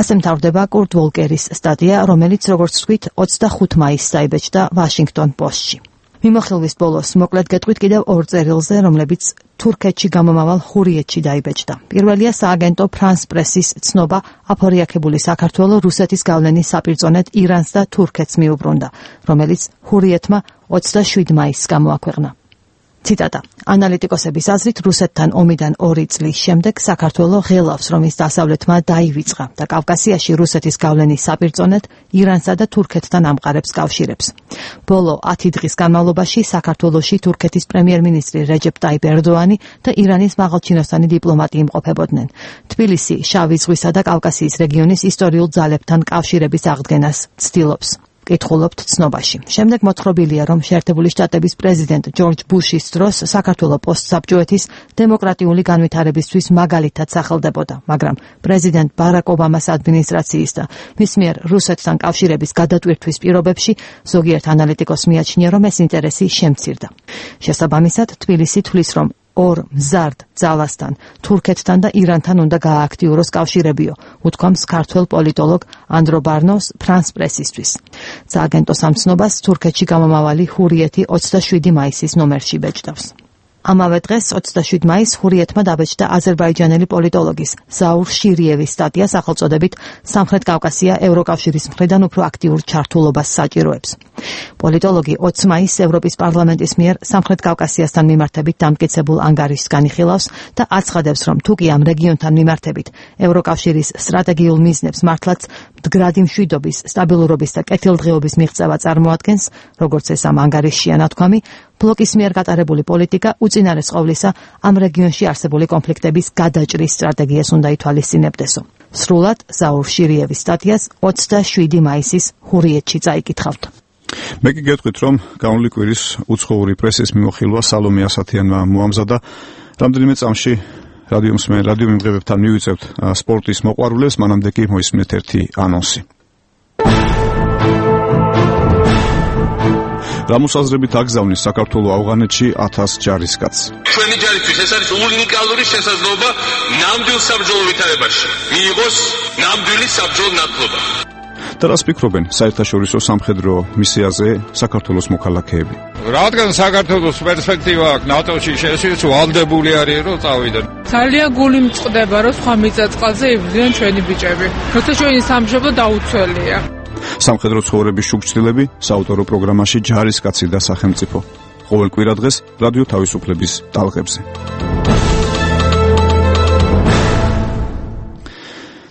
ასე მთავრდება კურტ ვოლკერის სტატია, რომელიც, როგორც ვთქვით, 25 მაისს დაიბეჭდა ვაშინგტონ პოსტში. მიმოხილვის ბოლოს მოკლედ გეტყვით კიდევ ორ წერილზე, რომლებიც თურქეთში გამომავალ ხურიეთში დაიბეჭდა. პირველია სააგენტო ფრანს პრესის ცნობა, აფორიაქებული საქართველო რუსეთის გავლენის საპირწონედ ირანს და თურქეთს მიუბრუნდა, რომელიც ხურიეთმა 27 მაისს გამოაქვეყნა. ციტატა: ანალიტიკოსების აზრით, რუსეთთან ომიდან 2 წლის შემდეგ საქართველო ღელავს, რომ ის დასავლეთმა დაივიწყა და კავკასიაში რუსეთის გავლენის საპირწონედ ირანსა და თურქეთთან ამყარებს კავშირებს. ბოლო 10 დღის განმავლობაში საქართველოში თურქეთის პრემიერ-მინისტრი რეჯეპ ტაიპ ერდოანი და ირანის მაღალჩინოსანი დიპლომატი იმყოფებოდნენ. თბილისი შავი ზღვისა და კავკასიის რეგიონის ისტორიულ ძალებთან კავშირების აღდგენას ცდილობს. კითხულობთ ცნობაში. შემდეგ მოთხრობილია, რომ შეერთებული შტატების პრეზიდენტ ჯორჯ ბუშის დროს საქართველო პოსტსაბჭოეთის დემოკრატიული განვითარებისთვის მაგალითად სახელდებოდა, მაგრამ პრეზიდენტ ბარაკ ობამას ადმინისტრაციის და მის მიერ რუსეთთან კავშირების გადატვირთვის პირობებში ზოგიერთ ანალიტიკოსს მიაჩნია, რომ ეს ინტერესი შემცირდა. შესაბამისად, თბილისი თვლის, რომ ორ მზარდ ძალასთან, თურქეთთან და ირანთან უნდა გაააქტიუროს კავშირებიო, უთქვამს ქართველ პოლიტოლოგ ანდრო ბარნოვს ფრანს პრესისთვის. სააგენტო სამცნობას თურქეთში გამომავალი ხურიეთი 27 მაისის ნომერში ბეჭდავს. ამავე დღეს 27 მაისს ხურიეთმა დაბეჭდა აზერბაიჯანელი პოლიტოლოგის ზაურ შირიევის სტატია სახელწოდებით სამხრეთ კავკასია ევროკავშირის მხრიდან უფრო აქტიურ ჩართულობას საჭიროებს. პოლიტოლოგი 20 მაისს ევროპის პარლამენტის მიერ სამხრეთ კავკასიასთან მიმართებით დამტკიცებულ ანგარიშს განიხილავს და აცხადებს, რომ თუ კი ამ რეგიონთან მიმართებით ევროკავშირის სტრატეგიულ მიზნებს მართლაც მდგრადი მშვიდობის, სტაბილურობის და კეთილდღეობის მიღწევა წარმოადგენს, როგორც ეს ამ ანგარიშშია ნათქვამი, ბლოკის მიერ გატარებული პოლიტიკა უწინარეს ყოვლისა ამ რეგიონში არსებული კონფლიქტების გადაჭრის სტრატეგიას უნდა ითვალისწინებდესო. სრულად ზაურ შირიევის სტატიას 27 მაისის ხურიეთში წაიკითხავთ. მე კი გეტყვით, რომ გამოვლი კვირის უცხოური პრესის მიმოხილვა სალომე ასათიანმა მოამზადა. რამდენიმე წამში რადიო მიმღებებთან მივიწევთ სპორტის მოყვარულებს, მანამდე კი მოისმინეთ ერთი ანონსი. რამოსაზრებით აგზავნის საქართველოს ავღანეთში 1000 ჯარისკაცს. ჩვენი ჯარისთვის ეს არის უნიკალური შესაძლებლობა ნამდვილ საბრძოლო ვითარებაში მიიღოს ნამდვილი საბრძოლო ნათლობა. და რას ფიქრობენ საერთაშორისო სამხედრო მისიაზე საქართველოს მოქალაქეები? რადგან საქართველოს პერსპექტივა აქვს ნატოში შესვლის, ვალდებული არის რომ წავიდნენ. ძალიან გული მწყდება რომ სხვა მიწა-წყალზე იბრძვიან ჩვენი ბიჭები. როცა ჩვენი სამშობლო დაუცველია. სამხედრო ცხოვრების შუქჩილები საავტორო პროგრამაში ჯარისკაცი და სახელმწიფო. ყოველ კვირა დღეს რადიო თავისუფლების ტალღებზე.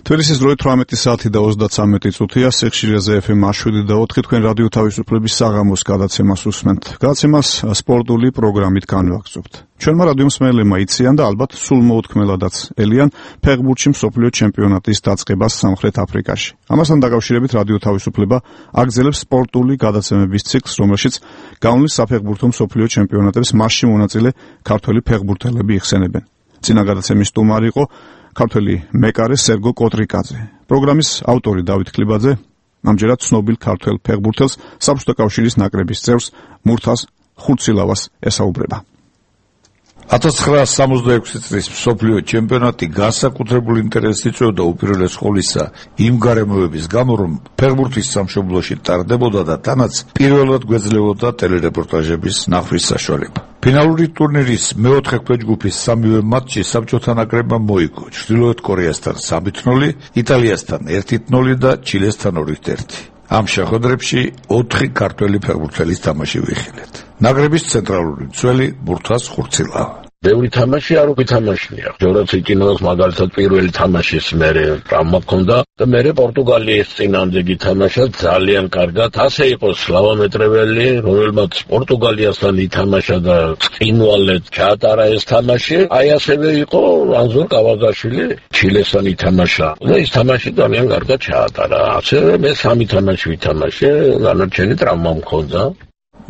თბილისის დროით 18 საათი და 33 წუთია, სიხშირეზე FM 7 თქვენ რადიო თავისუფლების საღამოს გადაცემას უსმენთ. გადაცემას სპორტული პროგრამით განვაგრძობთ. ჩვენმა რადიო მსმენელებმა იციან და ალბათ სულ მოუთქმელადაც ელიან ფეხბურთში მსოფლიო ჩემპიონატის დაწყებას სამხრეთ აფრიკაში. ამასთან დაკავშირებით რადიო თავისუფლება აგრძელებს სპორტული გადაცემების ციკლს, რომელშიც გავლნის საფეხბურთო მსოფლიო ჩემპიონატების მასში მონაწილე ქართველი ფეხბურთელები იხსენებენ. წინა გადაცემის სტუმარი იყო ქართველი მეკარე სერგო კოტრიკაძე. პროგრამის ავტორი დავით ქლიბაძე ამჯერად ცნობილ ქართველ ფეხბურთელს საბჭოთა კავშირის ნაკრების წევრს მურთაზ ხურცილავას ესაუბრება. 1966 წლის მსოფლიო ჩემპიონატი განსაკუთრებულ ინტერესს იწვევდა უპირველეს ყოვლისა იმ გარემოების გამო, რომ ფეხბურთის სამშობლოში ტარდებოდა და თანაც პირველად გვეძლეოდა ტელერეპორტაჟების ნახვის საშუალება. ფინალური ტურნირის მეოთხე ქვეჯგუფის სამივე მატჩი საბჭოთა ნაკრებმა მოიგო: ჩრდილოეთ კორეასთან 3-0, იტალიასთან 1-0 და ჩილესთან 2-1. ამ შეხვედრებში 4 ქართველი ფეხბურთელის თამაში ვიხილეთ. ნაკრების ცენტრალური მცველი ბურთას ხურცილავა. ბევრი თამაში არ ვითამაშია. ჯორაც იკინოს მაგალითად პირველი თამაშის მერე ტრამვა ჰქონდა და მერე პორტუგალიის წინამდე გითამაშა ძალიან კარგად. ასე იყო სლავა მეტრეველი, რომელმაც პორტუგალიასთან ითამაშა და წინვალედ ჩაატარა ეს თამაში. აი ასევე იყო ანზორ კავაგაშვილი, ჩილესთან ითამაშა და ეს თამაში ძალიან კარგად ჩაატარა. ასევე მე 3 თამაში ვითამაშე, განარჩენი ტრამვა მქონდა.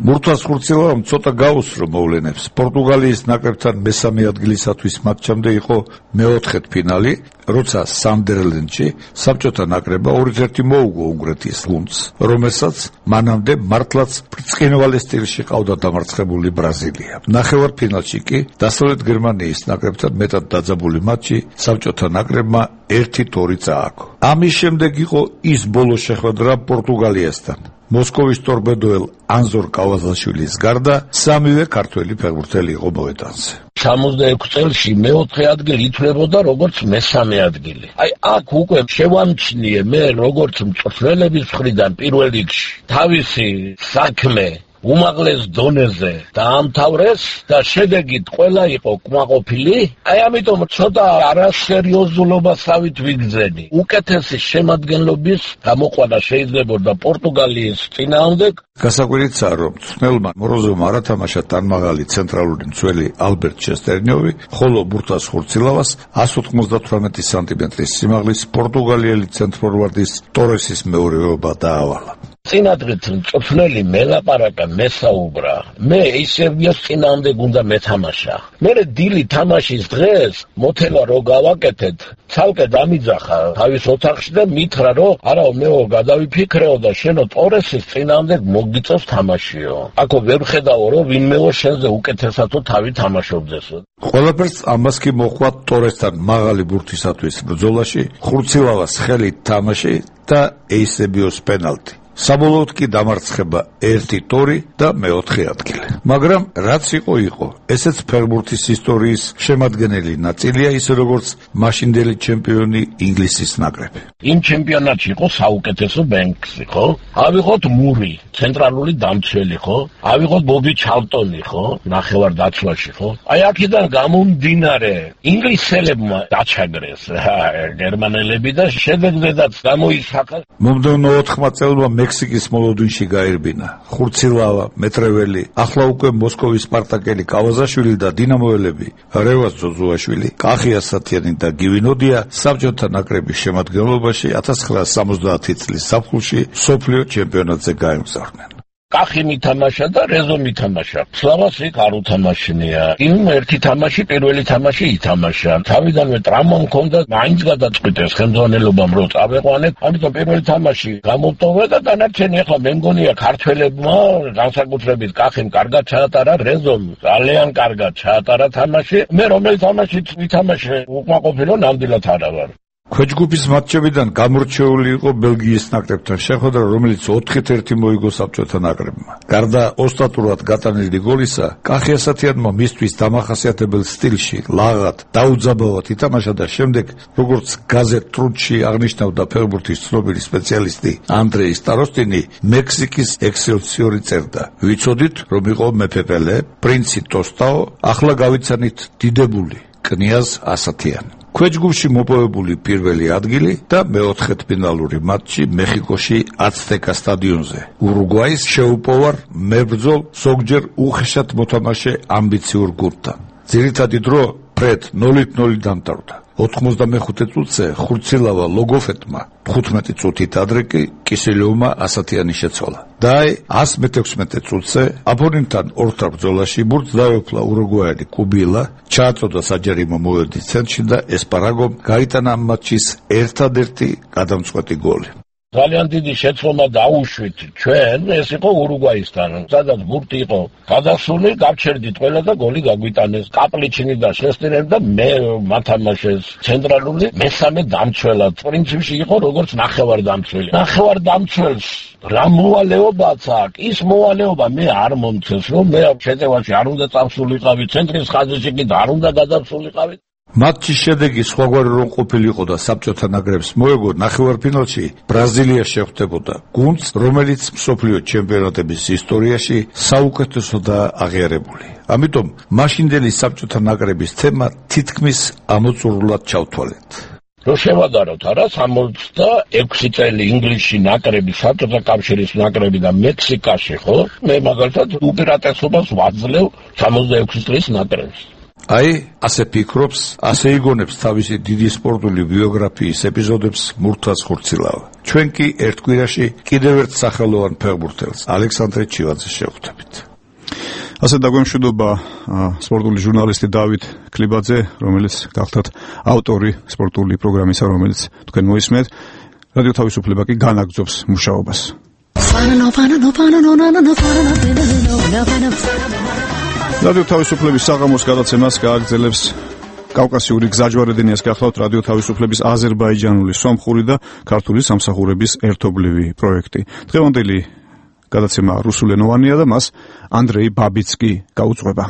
ბურთას ხურცილავამ ცოტა გაუსრო მოვლენებს. პორტუგალიის ნაკრებთან მესამე ადგილისათვის მატჩამდე იყო მეოთხედ ფინალი, როცა სანდერლენდში საბჭოთა ნაკრებმა 2-1 მოუგო უნგრეთის გუნდს, რომელსაც მანამდე მართლაც ბრწყინვალე სტილში ყავდა დამარცხებული ბრაზილია. ნახევარფინალში კი დასავლეთ გერმანიის ნაკრებთან მეტად დაძაბული მატჩი საბჭოთა ნაკრებმა 1-2 წააგო. ამის შემდეგ იყო ის ბოლო შეხვედრა პორტუგალიასთან. მოსკოვის ტორპედოელ ანზორ კავაზაშვილის გარდა სამივე ქართველი ფეხბურთელი იყო მოედანზე. 66 წელში მეოთხე ადგილი ითვლებოდა როგორც მესამე ადგილი. აი აქ უკვე შევამჩნიე მე როგორც მწვრთნელების მხრიდან პირველ რიგში თავისი საქმე უმაღლეს დონეზე დაამთავრეს და შედეგით ყველა იყო კმაყოფილი. აი ამიტომ ცოტა არასერიოზულობასავით ვიგრძენი. უკეთესი შემადგენლობის გამოყვანა შეიძლებოდა პორტუგალიის წინააღმდეგ. გასაკვირიცაა, რომ მწვრთნელმა მოროზოვმა არ ათამაშა თანმაღალი ცენტრალური მცველი ალბერტ ჩესტერნიოვი, ხოლო ბურთას ხურცილავას 198 სანტიმეტრის სიმაღლის პორტუგალიელი ცენტრფორვარდის ტორესის მეურვეობა დაავალა. წინადღით მწვრთნელი მელაპარაკა, მესაუბრა. მე ისევიოს წინააღმდეგ უნდა მეთამაშა. მე დილი თამაშის დღეს მოთელა რო გავაკეთეთ, ცალკე დამიძახა თავის ოთახში და მითხრა, რომ არა მეო გადავიფიქრეო და შენო ტორესის წინააღმდეგ მოგიწევს თამაშიო. აქო ვერ ხედავო, რომ ვინმეო შენზე უკეთესათო თავი თამაშობდესო. ყველაფერს ამას კი მოყვა ტორესთან მაღალი ბურთისათვის ბრძოლაში, ხურცილავას ხელით თამაში და ეისებიოს პენალტი. საბოლოოდ კი დამარცხება 1-2 და მეოთხე ადგილი. მაგრამ რაც იყო, ესეც ფეხბურთის ისტორიის შემადგენელი ნაწილია, ისე როგორც მაშინდელი ჩემპიონი ინგლისის ნაკრები. იმ ჩემპიონატში იყო საუკეთესო ბენქსი, ხო? ავიღოთ მური, ცენტრალური დამცველი, ხო? ავიღოთ ბობი ჩალტონი, ხო? ნახევარ დაცვაში, ხო? აი აქედან გამომდინარე, ინგლისელებმა დაჩაგრეს გერმანელები და შედეგზედაც გამოისახა. მომდევნო 4 წელმა მექსიკის მოლოდინში გაერბინა ხურცილავა, მეტრეველი, ახლა უკვე მოსკოვის სპარტაკელი კავაზაშვილი და დინამოელები რევაზ ზოზუაშვილი, კახი ასათიანი და გივინოდია საბჭოთა ნაკრების შემადგენლობაში 1970 წლის ზაფხულში მსოფლიო ჩემპიონატზე გაემგზავრნენ. კახი მითამაშა და რეზო მითამაშა. სლავას იქ არ უთამაშნია. იმ ერთი თამაში, პირველი თამაში ითამაშა. თავიდანვე ტრამვა მქონდა, მაინც გადაწყვიტეს ხელმძღვანელობამ რომ წავეყვანეთ. ამიტომ პირველი თამაში გამოვტოვე და დანარჩენი ახლა მე მგონია ქართველებმა განსაკუთრებით კახიმ კარგად ჩაატარა, რეზომ ძალიან კარგად ჩაატარა თამაში. მე რომელი თამაშიც ვითამაშე უკმაყოფილო ნამდვილად არა ვარ. ქვეჯგუფის მატჩებიდან გამორჩეული იყო ბელგიის ნაკრებთან შეხვედრა, რომელიც 4-1 მოიგო საბჭოთა ნაკრებმა. გარდა ოსტატურად გატანილი გოლისა, კახი ასათიანმა მისთვის დამახასიათებელ სტილში ლაღად, დაუძაბავად ითამაშა და შემდეგ, როგორც გაზეთ ტრუდში აღნიშნავდა ფეხბურთის ცნობილი სპეციალისტი ანდრეი სტაროსტინი, მექსიკის ექსელსიორი წერდა: "ვიცოდით, რომ იყო მეფე პელე, პრინცი ტოსტაო, ახლა გავიცანით დიდებული, კნიაზ ასათიანი." ქვეჯგუფში მოპოვებული პირველი ადგილი და მეოთხედფინალური მატჩი მეხიკოში აცტეკა სტადიონზე. ურუგვაის შეუპოვარ მებრძოლ, ზოგჯერ უხეშად მოთამაშე ამბიციურ გუნდთან. ძირითადი დრო ფრედ 0-0 დამტარდა. 95 წუთზე ხურცილავა ლოგოფეტმა 15 წუთით ადრე კი კისელოვმა ასათიანი შეცვალა. და 116 წუთზე აპონენტთან ორთარ ბრძოლაში ბურთს დაეუფლა ურუგვაელი კუბილა, ჩააწოდა საჯარიმო მოედნის ცენტრში და ესპარაგომ გაიტანა ამ მატჩის ერთადერთი გადამწყვეტი გოლი. ძალიან დიდი შეცდომა დაუშვით ჩვენ, ეს იყო ურუგვაისთან, სადაც ბურთი იყო გადასული, გავჩერდით ყველა და გოლი გაგვიტანეს. კაპლიჩინი და შესტინელი და მე მათამაშეს ცენტრალური მესამე დამცველად. პრინციპში იყო როგორც ნახევარდამცველი. ნახევარდამცველს რა მოვალეობაც აქვს? ის მოვალეობა მე არ მომცეს, რომ მე შეტევაში არ უნდა წავსულიყავი, ცენტრის ხაზში კი არ უნდა გადასულიყავი. მატჩის შედეგი სხვაგვარი რომ ყოფილიყო და საბჭოთა ნაკრებს მოეგო ნახევარფინალში ბრაზილია შეხვდებოდა გუნდს, რომელიც მსოფლიო ჩემპიონატების ისტორიაში საუკეთესოდაა აღიარებული. ამიტომ მაშინდელი საბჭოთა ნაკრების თემა თითქმის ამოწურულად ჩავთვალეთ. რო შევადაროთ არა 66 წელი ინგლისში ნაკრები, საბჭოთა კავშირის ნაკრები და მექსიკაში, ხო? მე მაგალითად უპირატესობას ვაძლევ 66 წლის ნაკრებს. აი, ასე ფიქრობს, ასე იგონებს თავისი დიდი სპორტული ბიოგრაფიის ეპიზოდებს მურთაზ ხურცილავა. ჩვენ კი ერთ კვირაში კიდევ ერთ სახელოვან ფეხბურთელს, ალექსანდრე ჩივაძეს შევხვდებით. ასე დაგვემშვიდობა სპორტული ჟურნალისტი დავით ქლიბაძე, რომელიც გახლდათ ავტორი სპორტული პროგრამისა, რომელიც თქვენ მოისმენთ. რადიო თავისუფლება კი განაგრძობს მუშაობას. რადიო თავისუფლების საღამოს გადაცემას გააგრძელებს კავკასიური გზაჯვარედინიას გახლავთ რადიო თავისუფლების აზერბაიჯანული, სომხური და ქართული სამსახურების ერთობლივი პროექტი. დღევანდელი გადაცემა რუსულენოვანია და მას Андрей Бабицкий გაუძღვება.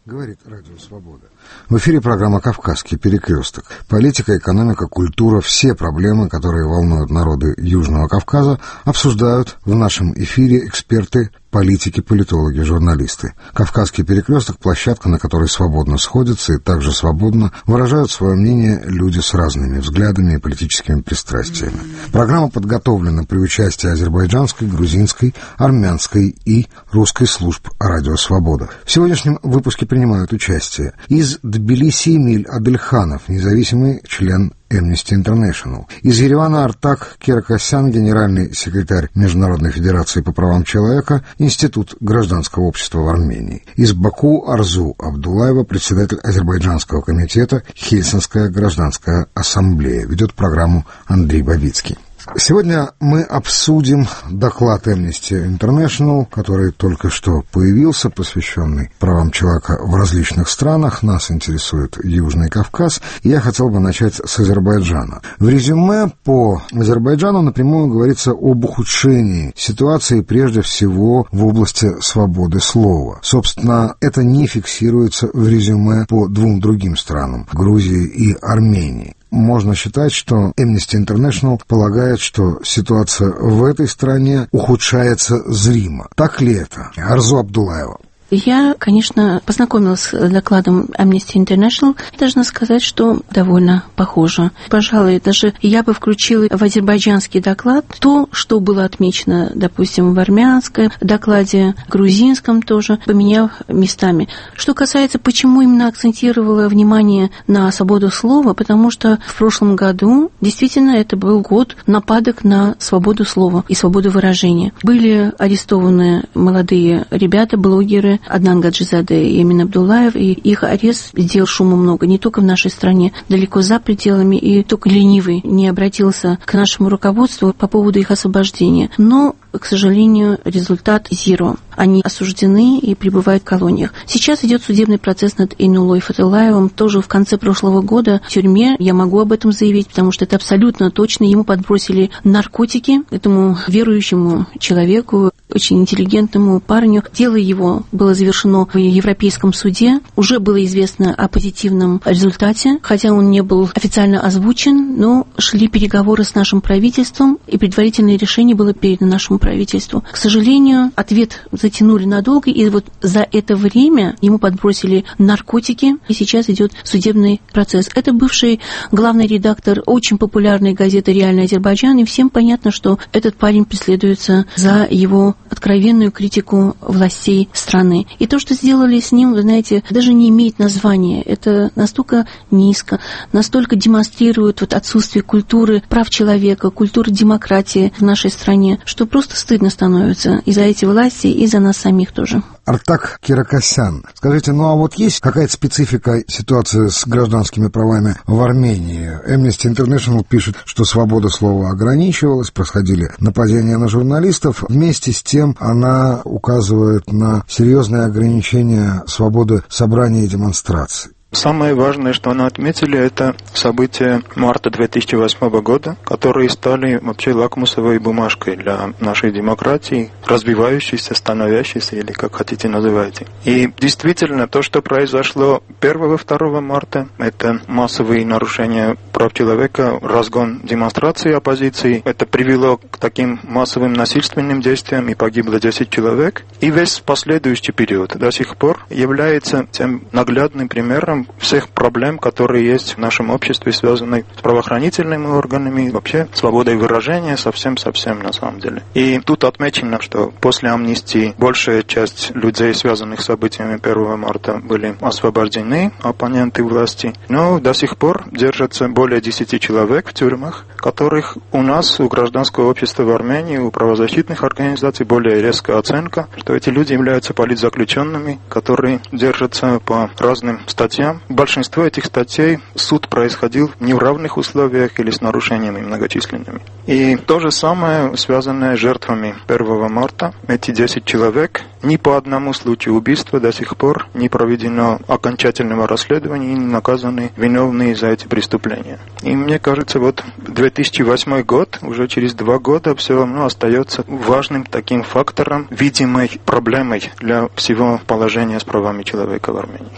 Говорит Радио Свобода. В эфире программа «Кавказский перекресток». Политика, экономика, культура, все проблемы, которые волнуют народы Южного Кавказа, обсуждают в нашем эфире эксперты, политики, политологи, журналисты. «Кавказский перекресток» – площадка, на которой свободно сходятся и также свободно выражают свое мнение люди с разными взглядами и политическими пристрастиями. Программа подготовлена при участии азербайджанской, грузинской, армянской и русской служб «Радио Свобода». В сегодняшнем выпуске принимают участие из Тбилиси Эмиль Адельханов, независимый член Amnesty International. Из Еревана Артак Керакосян, генеральный секретарь Международной федерации по правам человека, Институт гражданского общества в Армении. Из Баку Арзу Абдулаева, председатель Азербайджанского комитета Хельсинская гражданская ассамблея. Ведет программу Андрей Бабицкий. Сегодня мы обсудим доклад Amnesty International, который только что появился, посвященный правам человека в различных странах. Нас интересует Южный Кавказ, и я хотел бы начать с Азербайджана. В резюме по Азербайджану напрямую говорится об ухудшении ситуации прежде всего в области свободы слова. Собственно, это не фиксируется в резюме по двум другим странам – Грузии и Армении. Можно считать, что Amnesty International полагает, что ситуация в этой стране ухудшается зримо. Так ли это? Арзу Абдулаева. Я, конечно, познакомилась с докладом Amnesty International. Должна сказать, что довольно похоже. Пожалуй, даже я бы включила в азербайджанский доклад то, что было отмечено, допустим, в армянском докладе, грузинском тоже, поменяв местами. Что касается, почему именно акцентировала внимание на свободу слова, потому что в прошлом году действительно это был год нападок на свободу слова и свободу выражения. Были арестованы молодые ребята, блогеры, Аднан Гаджизаде и Эмин Абдулаев, и их арест сделал шума много, не только в нашей стране, далеко за пределами, и только ленивый не обратился к нашему руководству по поводу их освобождения. Но, к сожалению, результат зеро. Они осуждены и пребывают в колониях. Сейчас идет судебный процесс над Эйнулой Фатылаевым, тоже в конце прошлого года в тюрьме. Я могу об этом заявить, потому что это абсолютно точно. Ему подбросили наркотики, этому верующему человеку, очень интеллигентному парню. Дело его было завершено в Европейском суде. Уже было известно о позитивном результате, хотя он не был официально озвучен, но шли переговоры с нашим правительством, и предварительное решение было передано нашему правительству. К сожалению, ответ затянули надолго, и вот за это время ему подбросили наркотики, и сейчас идет судебный процесс. Это бывший главный редактор очень популярной газеты «Реальный Азербайджан», и всем понятно, что этот парень преследуется за его откровенную критику властей страны. И то, что сделали с ним, вы знаете, даже не имеет названия. Это настолько низко, настолько демонстрирует вот отсутствие культуры прав человека, культуры демократии в нашей стране, что просто просто стыдно становится и за эти власти, и за нас самих тоже. Артак Киракосян, скажите, ну а вот есть какая-то специфика ситуации с гражданскими правами в Армении? Amnesty International пишет, что свобода слова ограничивалась, происходили нападения на журналистов. Вместе с тем она указывает на серьезные ограничения свободы собраний и демонстраций. Самое важное, что они отметили, это события марта 2008 года, которые стали вообще лакмусовой бумажкой для нашей демократии, развивающейся, становящейся, или как хотите называйте. И действительно, то, что произошло 1-2 марта, это массовые нарушения прав человека, разгон демонстрации оппозиции, это привело к таким массовым насильственным действиям, и погибло 10 человек. И весь последующий период до сих пор является тем наглядным примером всех проблем, которые есть в нашем обществе, связанные с правоохранительными органами, вообще свободой выражения, совсем на самом деле. И тут отмечено, что после амнистии большая часть людей, связанных с событиями 1 марта, были освобождены, оппоненты власти, но до сих пор держатся более 10 человек в тюрьмах, которых у нас, у гражданского общества в Армении, у правозащитных организаций более резкая оценка, что эти люди являются политзаключенными, которые держатся по разным статьям. Большинство этих статей суд происходил не в равных условиях или с нарушениями многочисленными. И то же самое, связанное с жертвами 1 марта. Эти 10 человек, ни по одному случаю убийства до сих пор не проведено окончательного расследования и не наказаны виновные за эти преступления. И мне кажется, вот 2008 год, уже через 2 года, все равно остается важным таким фактором, видимой проблемой для всего положения с правами человека в Армении.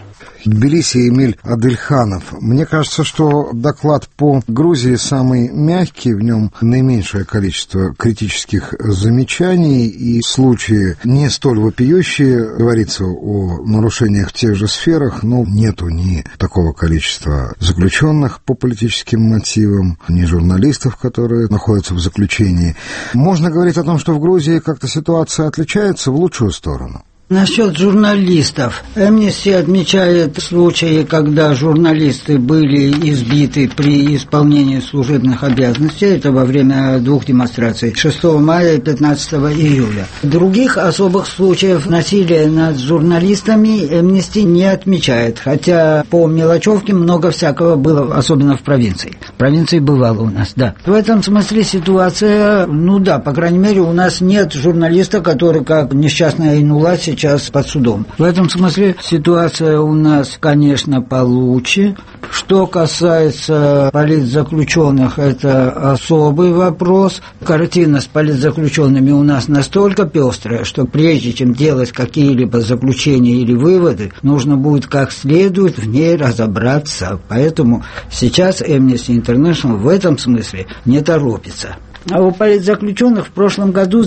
Тбилиси Эмиль Адельханов. Мне кажется, что доклад по Грузии самый мягкий, в нем наименьшее количество критических замечаний и случаи не столь вопиющие. Говорится о нарушениях в тех же сферах, но нету ни такого количества заключенных по политическим мотивам, ни журналистов, которые находятся в заключении. Можно говорить о том, что в Грузии как-то ситуация отличается в лучшую сторону. Насчет журналистов. Amnesty отмечает случаи, когда журналисты были избиты при исполнении служебных обязанностей. Это во время 2 демонстраций 6 мая и 15 июля. Других особых случаев насилия над журналистами Amnesty не отмечает. Хотя по мелочевке много всякого было, особенно в провинции. В провинции бывало у нас, да. В этом смысле ситуация, по крайней мере, у нас нет журналиста, который, как несчастная Айнула, сейчас под судом. В этом смысле ситуация у нас, конечно, получше. Что касается политзаключенных, это особый вопрос. Картина с политзаключенными у нас настолько пестрая, что прежде чем делать какие-либо заключения или выводы, нужно будет как следует в ней разобраться. Поэтому сейчас Amnesty International в этом смысле не торопится. А у политзаключенных в прошлом году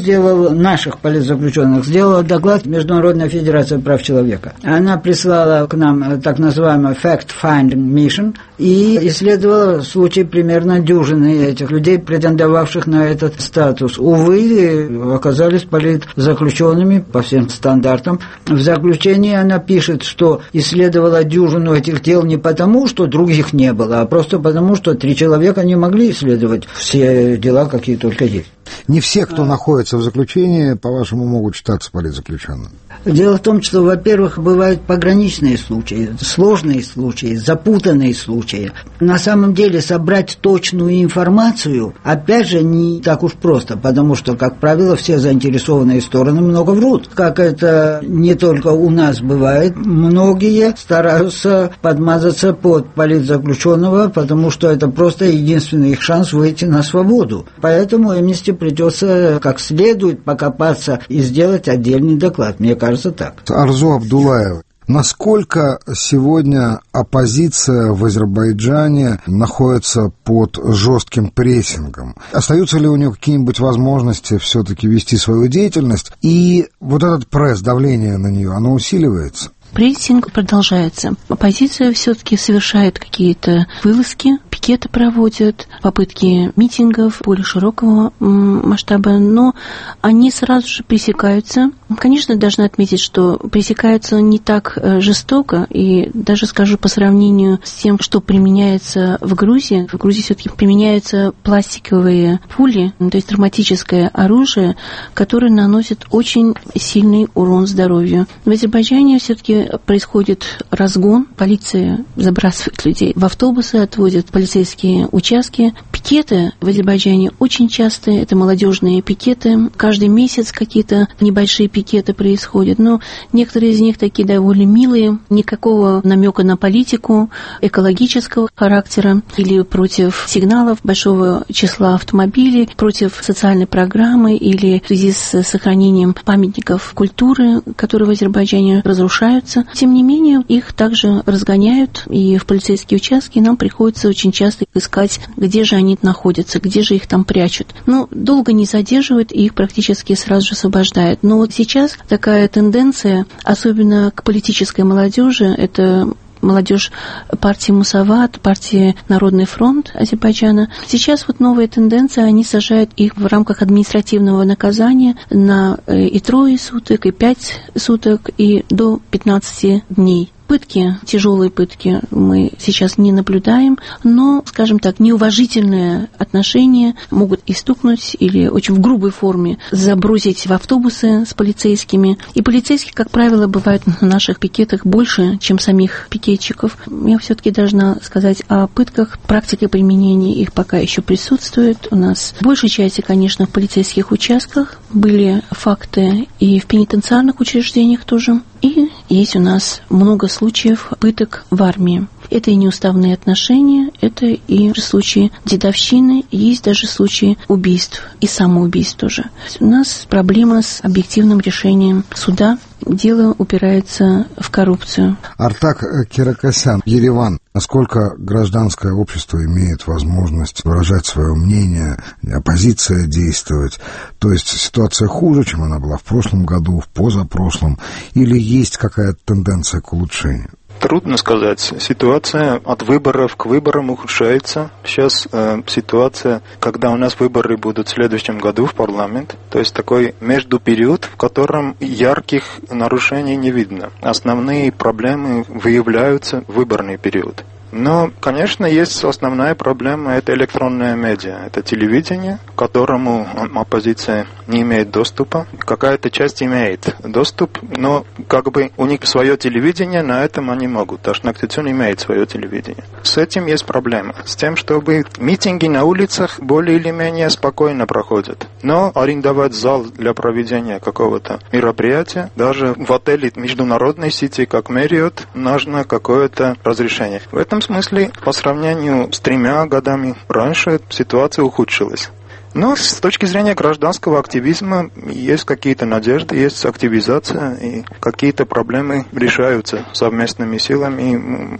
наших политзаключенных сделала доклад Международная федерация прав человека. Она прислала к нам так называемый fact-finding mission и исследовала случаи примерно дюжины этих людей, претендовавших на этот статус. Увы, оказались политзаключенными по всем стандартам. В заключении она пишет, что исследовала дюжину этих дел не потому, что других не было, а просто потому, что 3 человека не могли исследовать все дела, какие только есть. Не все, кто находится в заключении, по-вашему, могут считаться политзаключенными? Дело в том, что, во-первых, бывают пограничные случаи, сложные случаи, запутанные случаи. На самом деле собрать точную информацию, опять же, не так уж просто, потому что, как правило, все заинтересованные стороны много врут. Как это не только у нас бывает, многие стараются подмазаться под политзаключенного, потому что это просто единственный их шанс выйти на свободу. Поэтому Amnesty придется как следует покопаться и сделать отдельный доклад. Мне кажется, так. Арзу Абдуллаева. Насколько сегодня оппозиция в Азербайджане находится под жестким прессингом? Остаются ли у нее какие-нибудь возможности все-таки вести свою деятельность? И вот этот пресс, давление на нее, оно усиливается? Прессинг продолжается. Оппозиция все-таки совершает какие-то вылазки, пикеты проводят, попытки митингов более широкого масштаба, но они сразу же пресекаются Конечно, должна отметить, что пресекается не так жестоко, и даже скажу по сравнению с тем, что применяется в Грузии. В Грузии все-таки применяются пластиковые пули, то есть травматическое оружие, которое наносит очень сильный урон здоровью. В Азербайджане все-таки происходит разгон, полиция забрасывает людей в автобусы, отводит полицейские участки. Пикеты в Азербайджане очень частые, это молодежные пикеты. Каждый месяц какие-то небольшие пикеты происходят, но некоторые из них такие довольно милые, никакого намека на политику, экологического характера или против сигналов большого числа автомобилей, против социальной программы или в связи с сохранением памятников культуры, которые в Азербайджане разрушаются. Тем не менее, их также разгоняют, и в полицейские участки нам приходится очень часто искать, где же они находятся, где же их там прячут. Но долго не задерживают, и их практически сразу же освобождают. Но вот сейчас такая тенденция, особенно к политической молодежи, это молодежь партии Мусават, партии Народный фронт Азербайджана. Сейчас вот новая тенденция, они сажают их в рамках административного наказания на и 3 суток, и 5 суток, и до 15 дней. Пытки, тяжелые пытки мы сейчас не наблюдаем, но, скажем так, неуважительные отношения могут и стукнуть или очень в грубой форме забросить в автобусы с полицейскими. И полицейских, как правило, бывает на наших пикетах больше, чем самих пикетчиков. Я все-таки должна сказать о пытках. Практика применения их пока еще присутствует. У нас в большей части, конечно, в полицейских участках были факты и в пенитенциарных учреждениях тоже. И есть у нас много случаев пыток в армии. Это и неуставные отношения, это и случаи дедовщины, есть даже случаи убийств и самоубийств тоже. У нас проблема с объективным решением суда. Дело упирается в коррупцию. Артак Керакосян, Ереван. Насколько гражданское общество имеет возможность выражать свое мнение, оппозиция действовать? То есть ситуация хуже, чем она была в прошлом году, в позапрошлом? Или есть какая-то тенденция к улучшению? Трудно сказать. Ситуация от выборов к выборам ухудшается. Сейчас ситуация, когда у нас выборы будут в следующем году в парламент, то есть такой междупериод, в котором ярких нарушений не видно. Основные проблемы выявляются в выборный период. Но, конечно, есть основная проблема, это электронная медиа, это телевидение, к которому оппозиция не имеет доступа. Какая-то часть имеет доступ, но как бы у них свое телевидение, на этом они могут. Ташнактицун имеет свое телевидение. С этим есть проблема. С тем, чтобы митинги на улицах более или менее спокойно проходят. Но арендовать зал для проведения какого-то мероприятия, даже в отеле международной сети, как Marriott, нужно какое-то разрешение. В этом смысле, по сравнению с 3 годами раньше, ситуация ухудшилась. Но с точки зрения гражданского активизма есть какие-то надежды, есть активизация, и какие-то проблемы решаются совместными силами,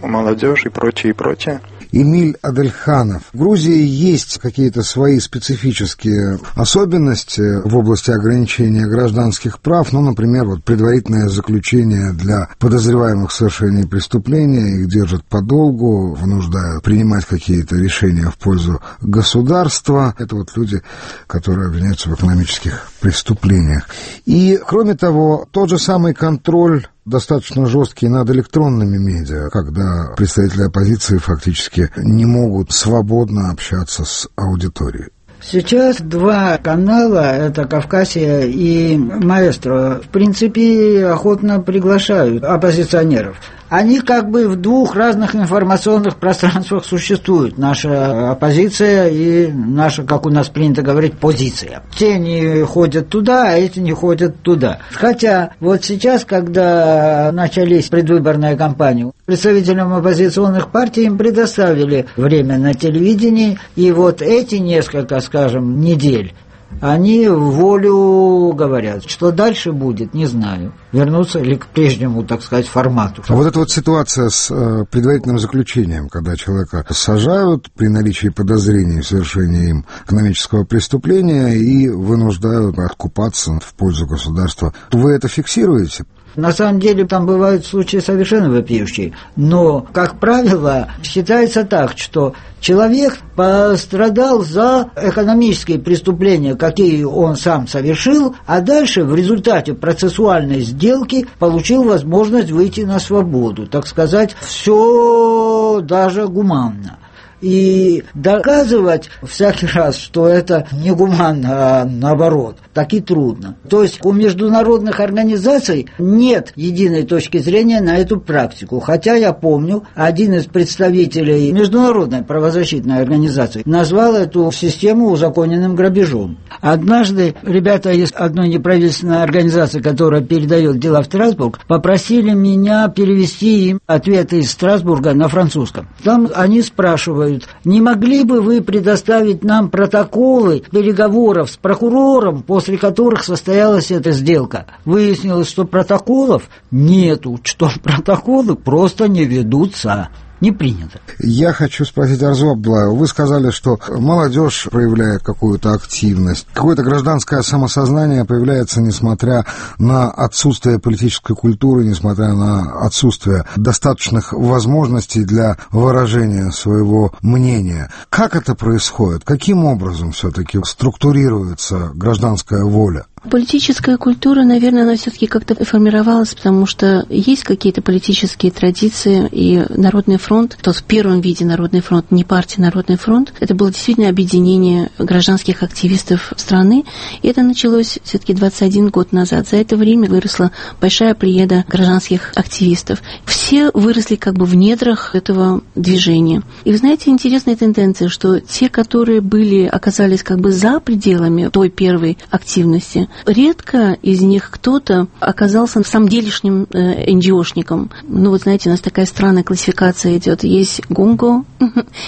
молодежь и прочее, и прочее. Эмиль Адельханов. В Грузии есть какие-то свои специфические особенности в области ограничения гражданских прав, ну, например, вот предварительное заключение для подозреваемых в совершении преступления, их держат подолгу, вынуждают принимать какие-то решения в пользу государства. Это вот люди, которые обвиняются в экономических преступлениях. И, кроме того, тот же самый контроль достаточно жесткий над электронными медиа, когда представители оппозиции фактически не могут свободно общаться с аудиторией. Сейчас 2 канала, это «Кавказия» и «Маэстро», в принципе, охотно приглашают оппозиционеров. Они как бы в 2 разных информационных пространствах существуют. Наша оппозиция и наша, как у нас принято говорить, позиция. Те не ходят туда, а эти не ходят туда. Хотя вот сейчас, когда начались предвыборная кампания, представителям оппозиционных партий им предоставили время на телевидении, и вот эти несколько, скажем, недель они в волю говорят. Что дальше будет, не знаю. Вернуться ли к прежнему, так сказать, формату. А вот эта вот ситуация с предварительным заключением, когда человека сажают при наличии подозрений в совершении им экономического преступления и вынуждают откупаться в пользу государства, вы это фиксируете? На самом деле там бывают случаи совершенно вопиющие, но, как правило, считается так, что человек пострадал за экономические преступления, какие он сам совершил, а дальше в результате процессуальной сделки получил возможность выйти на свободу, так сказать, все даже гуманно. И доказывать всякий раз, что это не гуманно, а наоборот, так и трудно. То есть у международных организаций нет единой точки зрения на эту практику. Хотя я помню, один из представителей международной правозащитной организации назвал эту систему узаконенным грабежом. Однажды ребята из одной неправительственной организации, которая передает дела в Страсбург, попросили меня перевести им ответы из Страсбурга на французском. Там они спрашивают: не могли бы вы предоставить нам протоколы переговоров с прокурором, после которых состоялась эта сделка? Выяснилось, что протоколов нету, что протоколы просто не ведутся. Не принято. Я хочу спросить Арзу Абдуллаеву. Вы сказали, что молодежь проявляет какую-то активность. Какое-то гражданское самосознание появляется, несмотря на отсутствие политической культуры, несмотря на отсутствие достаточных возможностей для выражения своего мнения. Как это происходит? Каким образом все-таки структурируется гражданская воля? Политическая культура, наверное, она все-таки как-то формировалась, потому что есть какие-то политические традиции, и Народный фронт, то в первом виде Народный фронт, не партия Народный фронт, это было действительно объединение гражданских активистов страны, и это началось все-таки 21 год назад. За это время выросла большая плеяда гражданских активистов. Все выросли как бы в недрах этого движения. И вы знаете, интересная тенденция, что те, которые оказались как бы за пределами той первой активности, редко из них кто-то оказался самделишним НГОшником. Ну, вот знаете, у нас такая странная классификация идет. Есть гонго,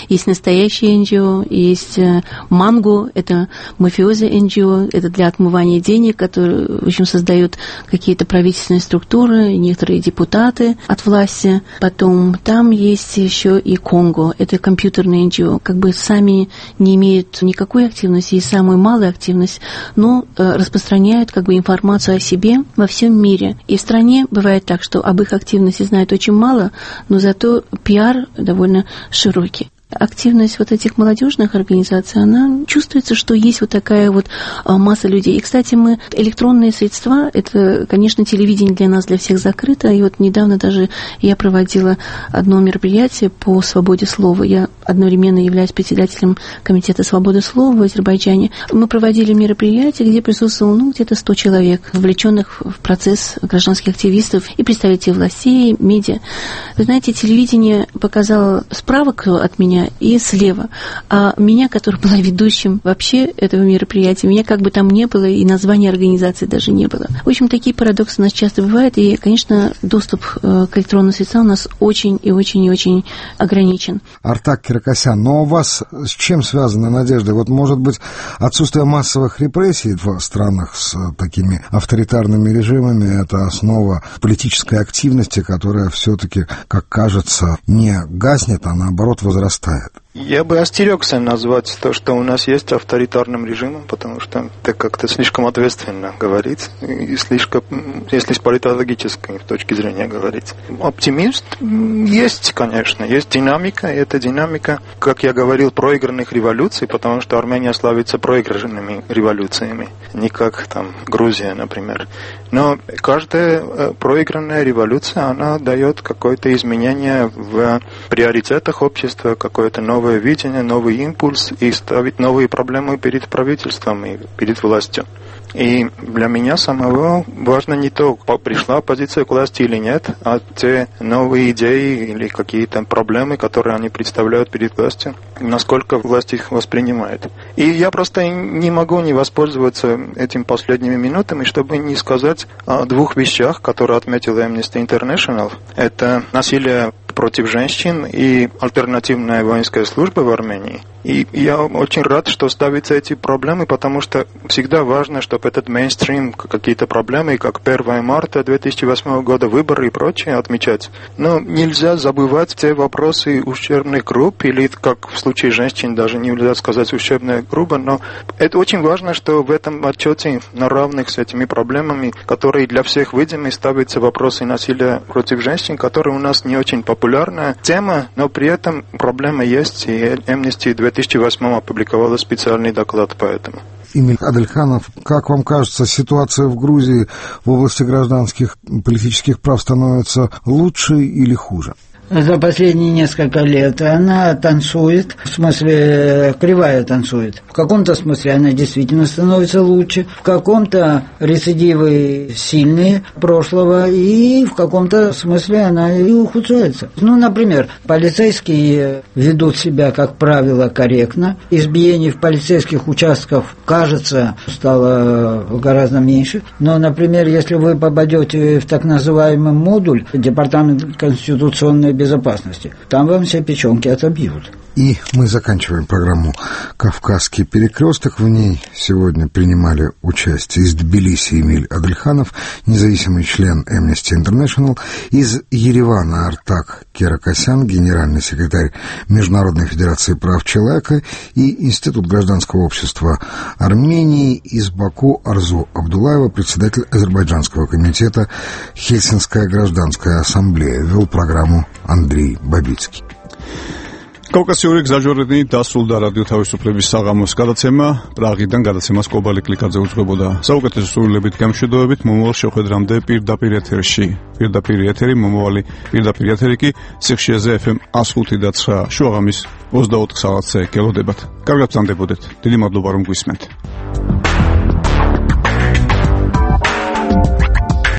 есть настоящие НГО, есть манго, это мафиози НГО, это для отмывания денег, которые, в общем, создают какие-то правительственные структуры, некоторые депутаты от власти. Потом там есть еще и Конго, это компьютерные НГО, как бы сами не имеют никакой активности и самую малую активность, но распространяют как бы информацию о себе во всем мире. И в стране бывает так, что об их активности знают очень мало, но зато пиар довольно широкий. Активность вот этих молодежных организаций, она чувствуется, что есть вот такая вот масса людей. И, кстати, электронные средства, это, конечно, телевидение для нас, для всех закрыто. И вот недавно даже я проводила одно мероприятие по свободе слова. Я одновременно являюсь председателем Комитета свободы слова в Азербайджане. Мы проводили мероприятие, где присутствовало где-то 100 человек, вовлеченных в процесс гражданских активистов и представителей властей, медиа. Вы знаете, телевидение показало справа от меня и слева. А меня, которая была ведущим вообще этого мероприятия, меня как бы там не было, и названия организации даже не было. В общем, такие парадоксы у нас часто бывают, и, конечно, доступ к электронным средствам у нас очень и очень и очень ограничен. Артак Киракосян, но у вас с чем связана надежда? Вот, может быть, отсутствие массовых репрессий в странах с такими авторитарными режимами — это основа политической активности, которая все-таки, как кажется, не гаснет, а наоборот возрастает. Я бы остерегся назвать то, что у нас есть авторитарным режимом, потому что это как-то слишком ответственно говорить, и слишком, если с политологической точки зрения говорить. Оптимист есть, конечно, есть динамика, и эта динамика, как я говорил, проигранных революций, потому что Армения славится проигранными революциями, не как там Грузия, например. Но каждая проигранная революция, она дает какое-то изменение в приоритетах общества, какое-то новое видение, новый импульс и ставить новые проблемы перед правительством и перед властью. И для меня самого важно не то, пришла оппозиция к власти или нет, а те новые идеи или какие-то проблемы, которые они представляют перед властью, насколько власть их воспринимает. И я просто не могу не воспользоваться этими последними минутами, чтобы не сказать о двух вещах, которые отметила Amnesty International. Это насилие против женщин и альтернативная воинская служба в Армении. И я очень рад, что ставятся эти проблемы, потому что всегда важно, чтобы этот мейнстрим, какие-то проблемы, как 1 марта 2008 года, выборы и прочее отмечать. Но нельзя забывать те вопросы ущербных групп, или, как в случае женщин, даже нельзя сказать ущербная группа, но это очень важно, что в этом отчете на равных с этими проблемами, которые для всех видимы, ставятся вопросы насилия против женщин, которые у нас не очень популярная тема, но при этом проблема есть, и Amnesty 2008 опубликовала специальный доклад по этому. Эмиль Адельханов, как вам кажется, ситуация в Грузии в области гражданских политических прав становится лучше или хуже? За последние несколько лет она танцует, в смысле кривая танцует. В каком-то смысле она действительно становится лучше, в каком-то рецидивы сильные прошлого, и в каком-то смысле она и ухудшается. Например, полицейские ведут себя, как правило, корректно. Избиений в полицейских участках, кажется, стало гораздо меньше. Но, например, если вы попадете в так называемый модуль, департамент конституционной безопасности, там вам все печенки отобьют. И мы заканчиваем программу «Кавказский перекресток». В ней сегодня принимали участие из Тбилиси Эмиль Адельханов, независимый член Amnesty International, из Еревана Артак Керакосян, генеральный секретарь Международной федерации прав человека, и Институт гражданского общества Армении, из Баку Арзу Абдулаева, председатель Азербайджанского комитета Хельсинская гражданская ассамблея. Вел программу Андрей Бабицкий. კავკასიური გზაჯვარედინი დასრულდა რადიო თავისუფლების საღამოს გადაცემა. პრაღიდან გადაცემას კობალი კლიკაძე უძღვებოდა. საუკეთესო სურვილებით, გამშვიდობებით, მომავალ შეხვედრამდე პირდაპირ ეთერში. პირდაპირ ეთერი, მომავალი პირდაპირ ეთერი კი სიხშირეზე FM 105.9 შუაღამის 24 საათზე გელოდებათ. კარგად ბრძანდებოდეთ. დიდი მადლობა რომ გვისმენთ.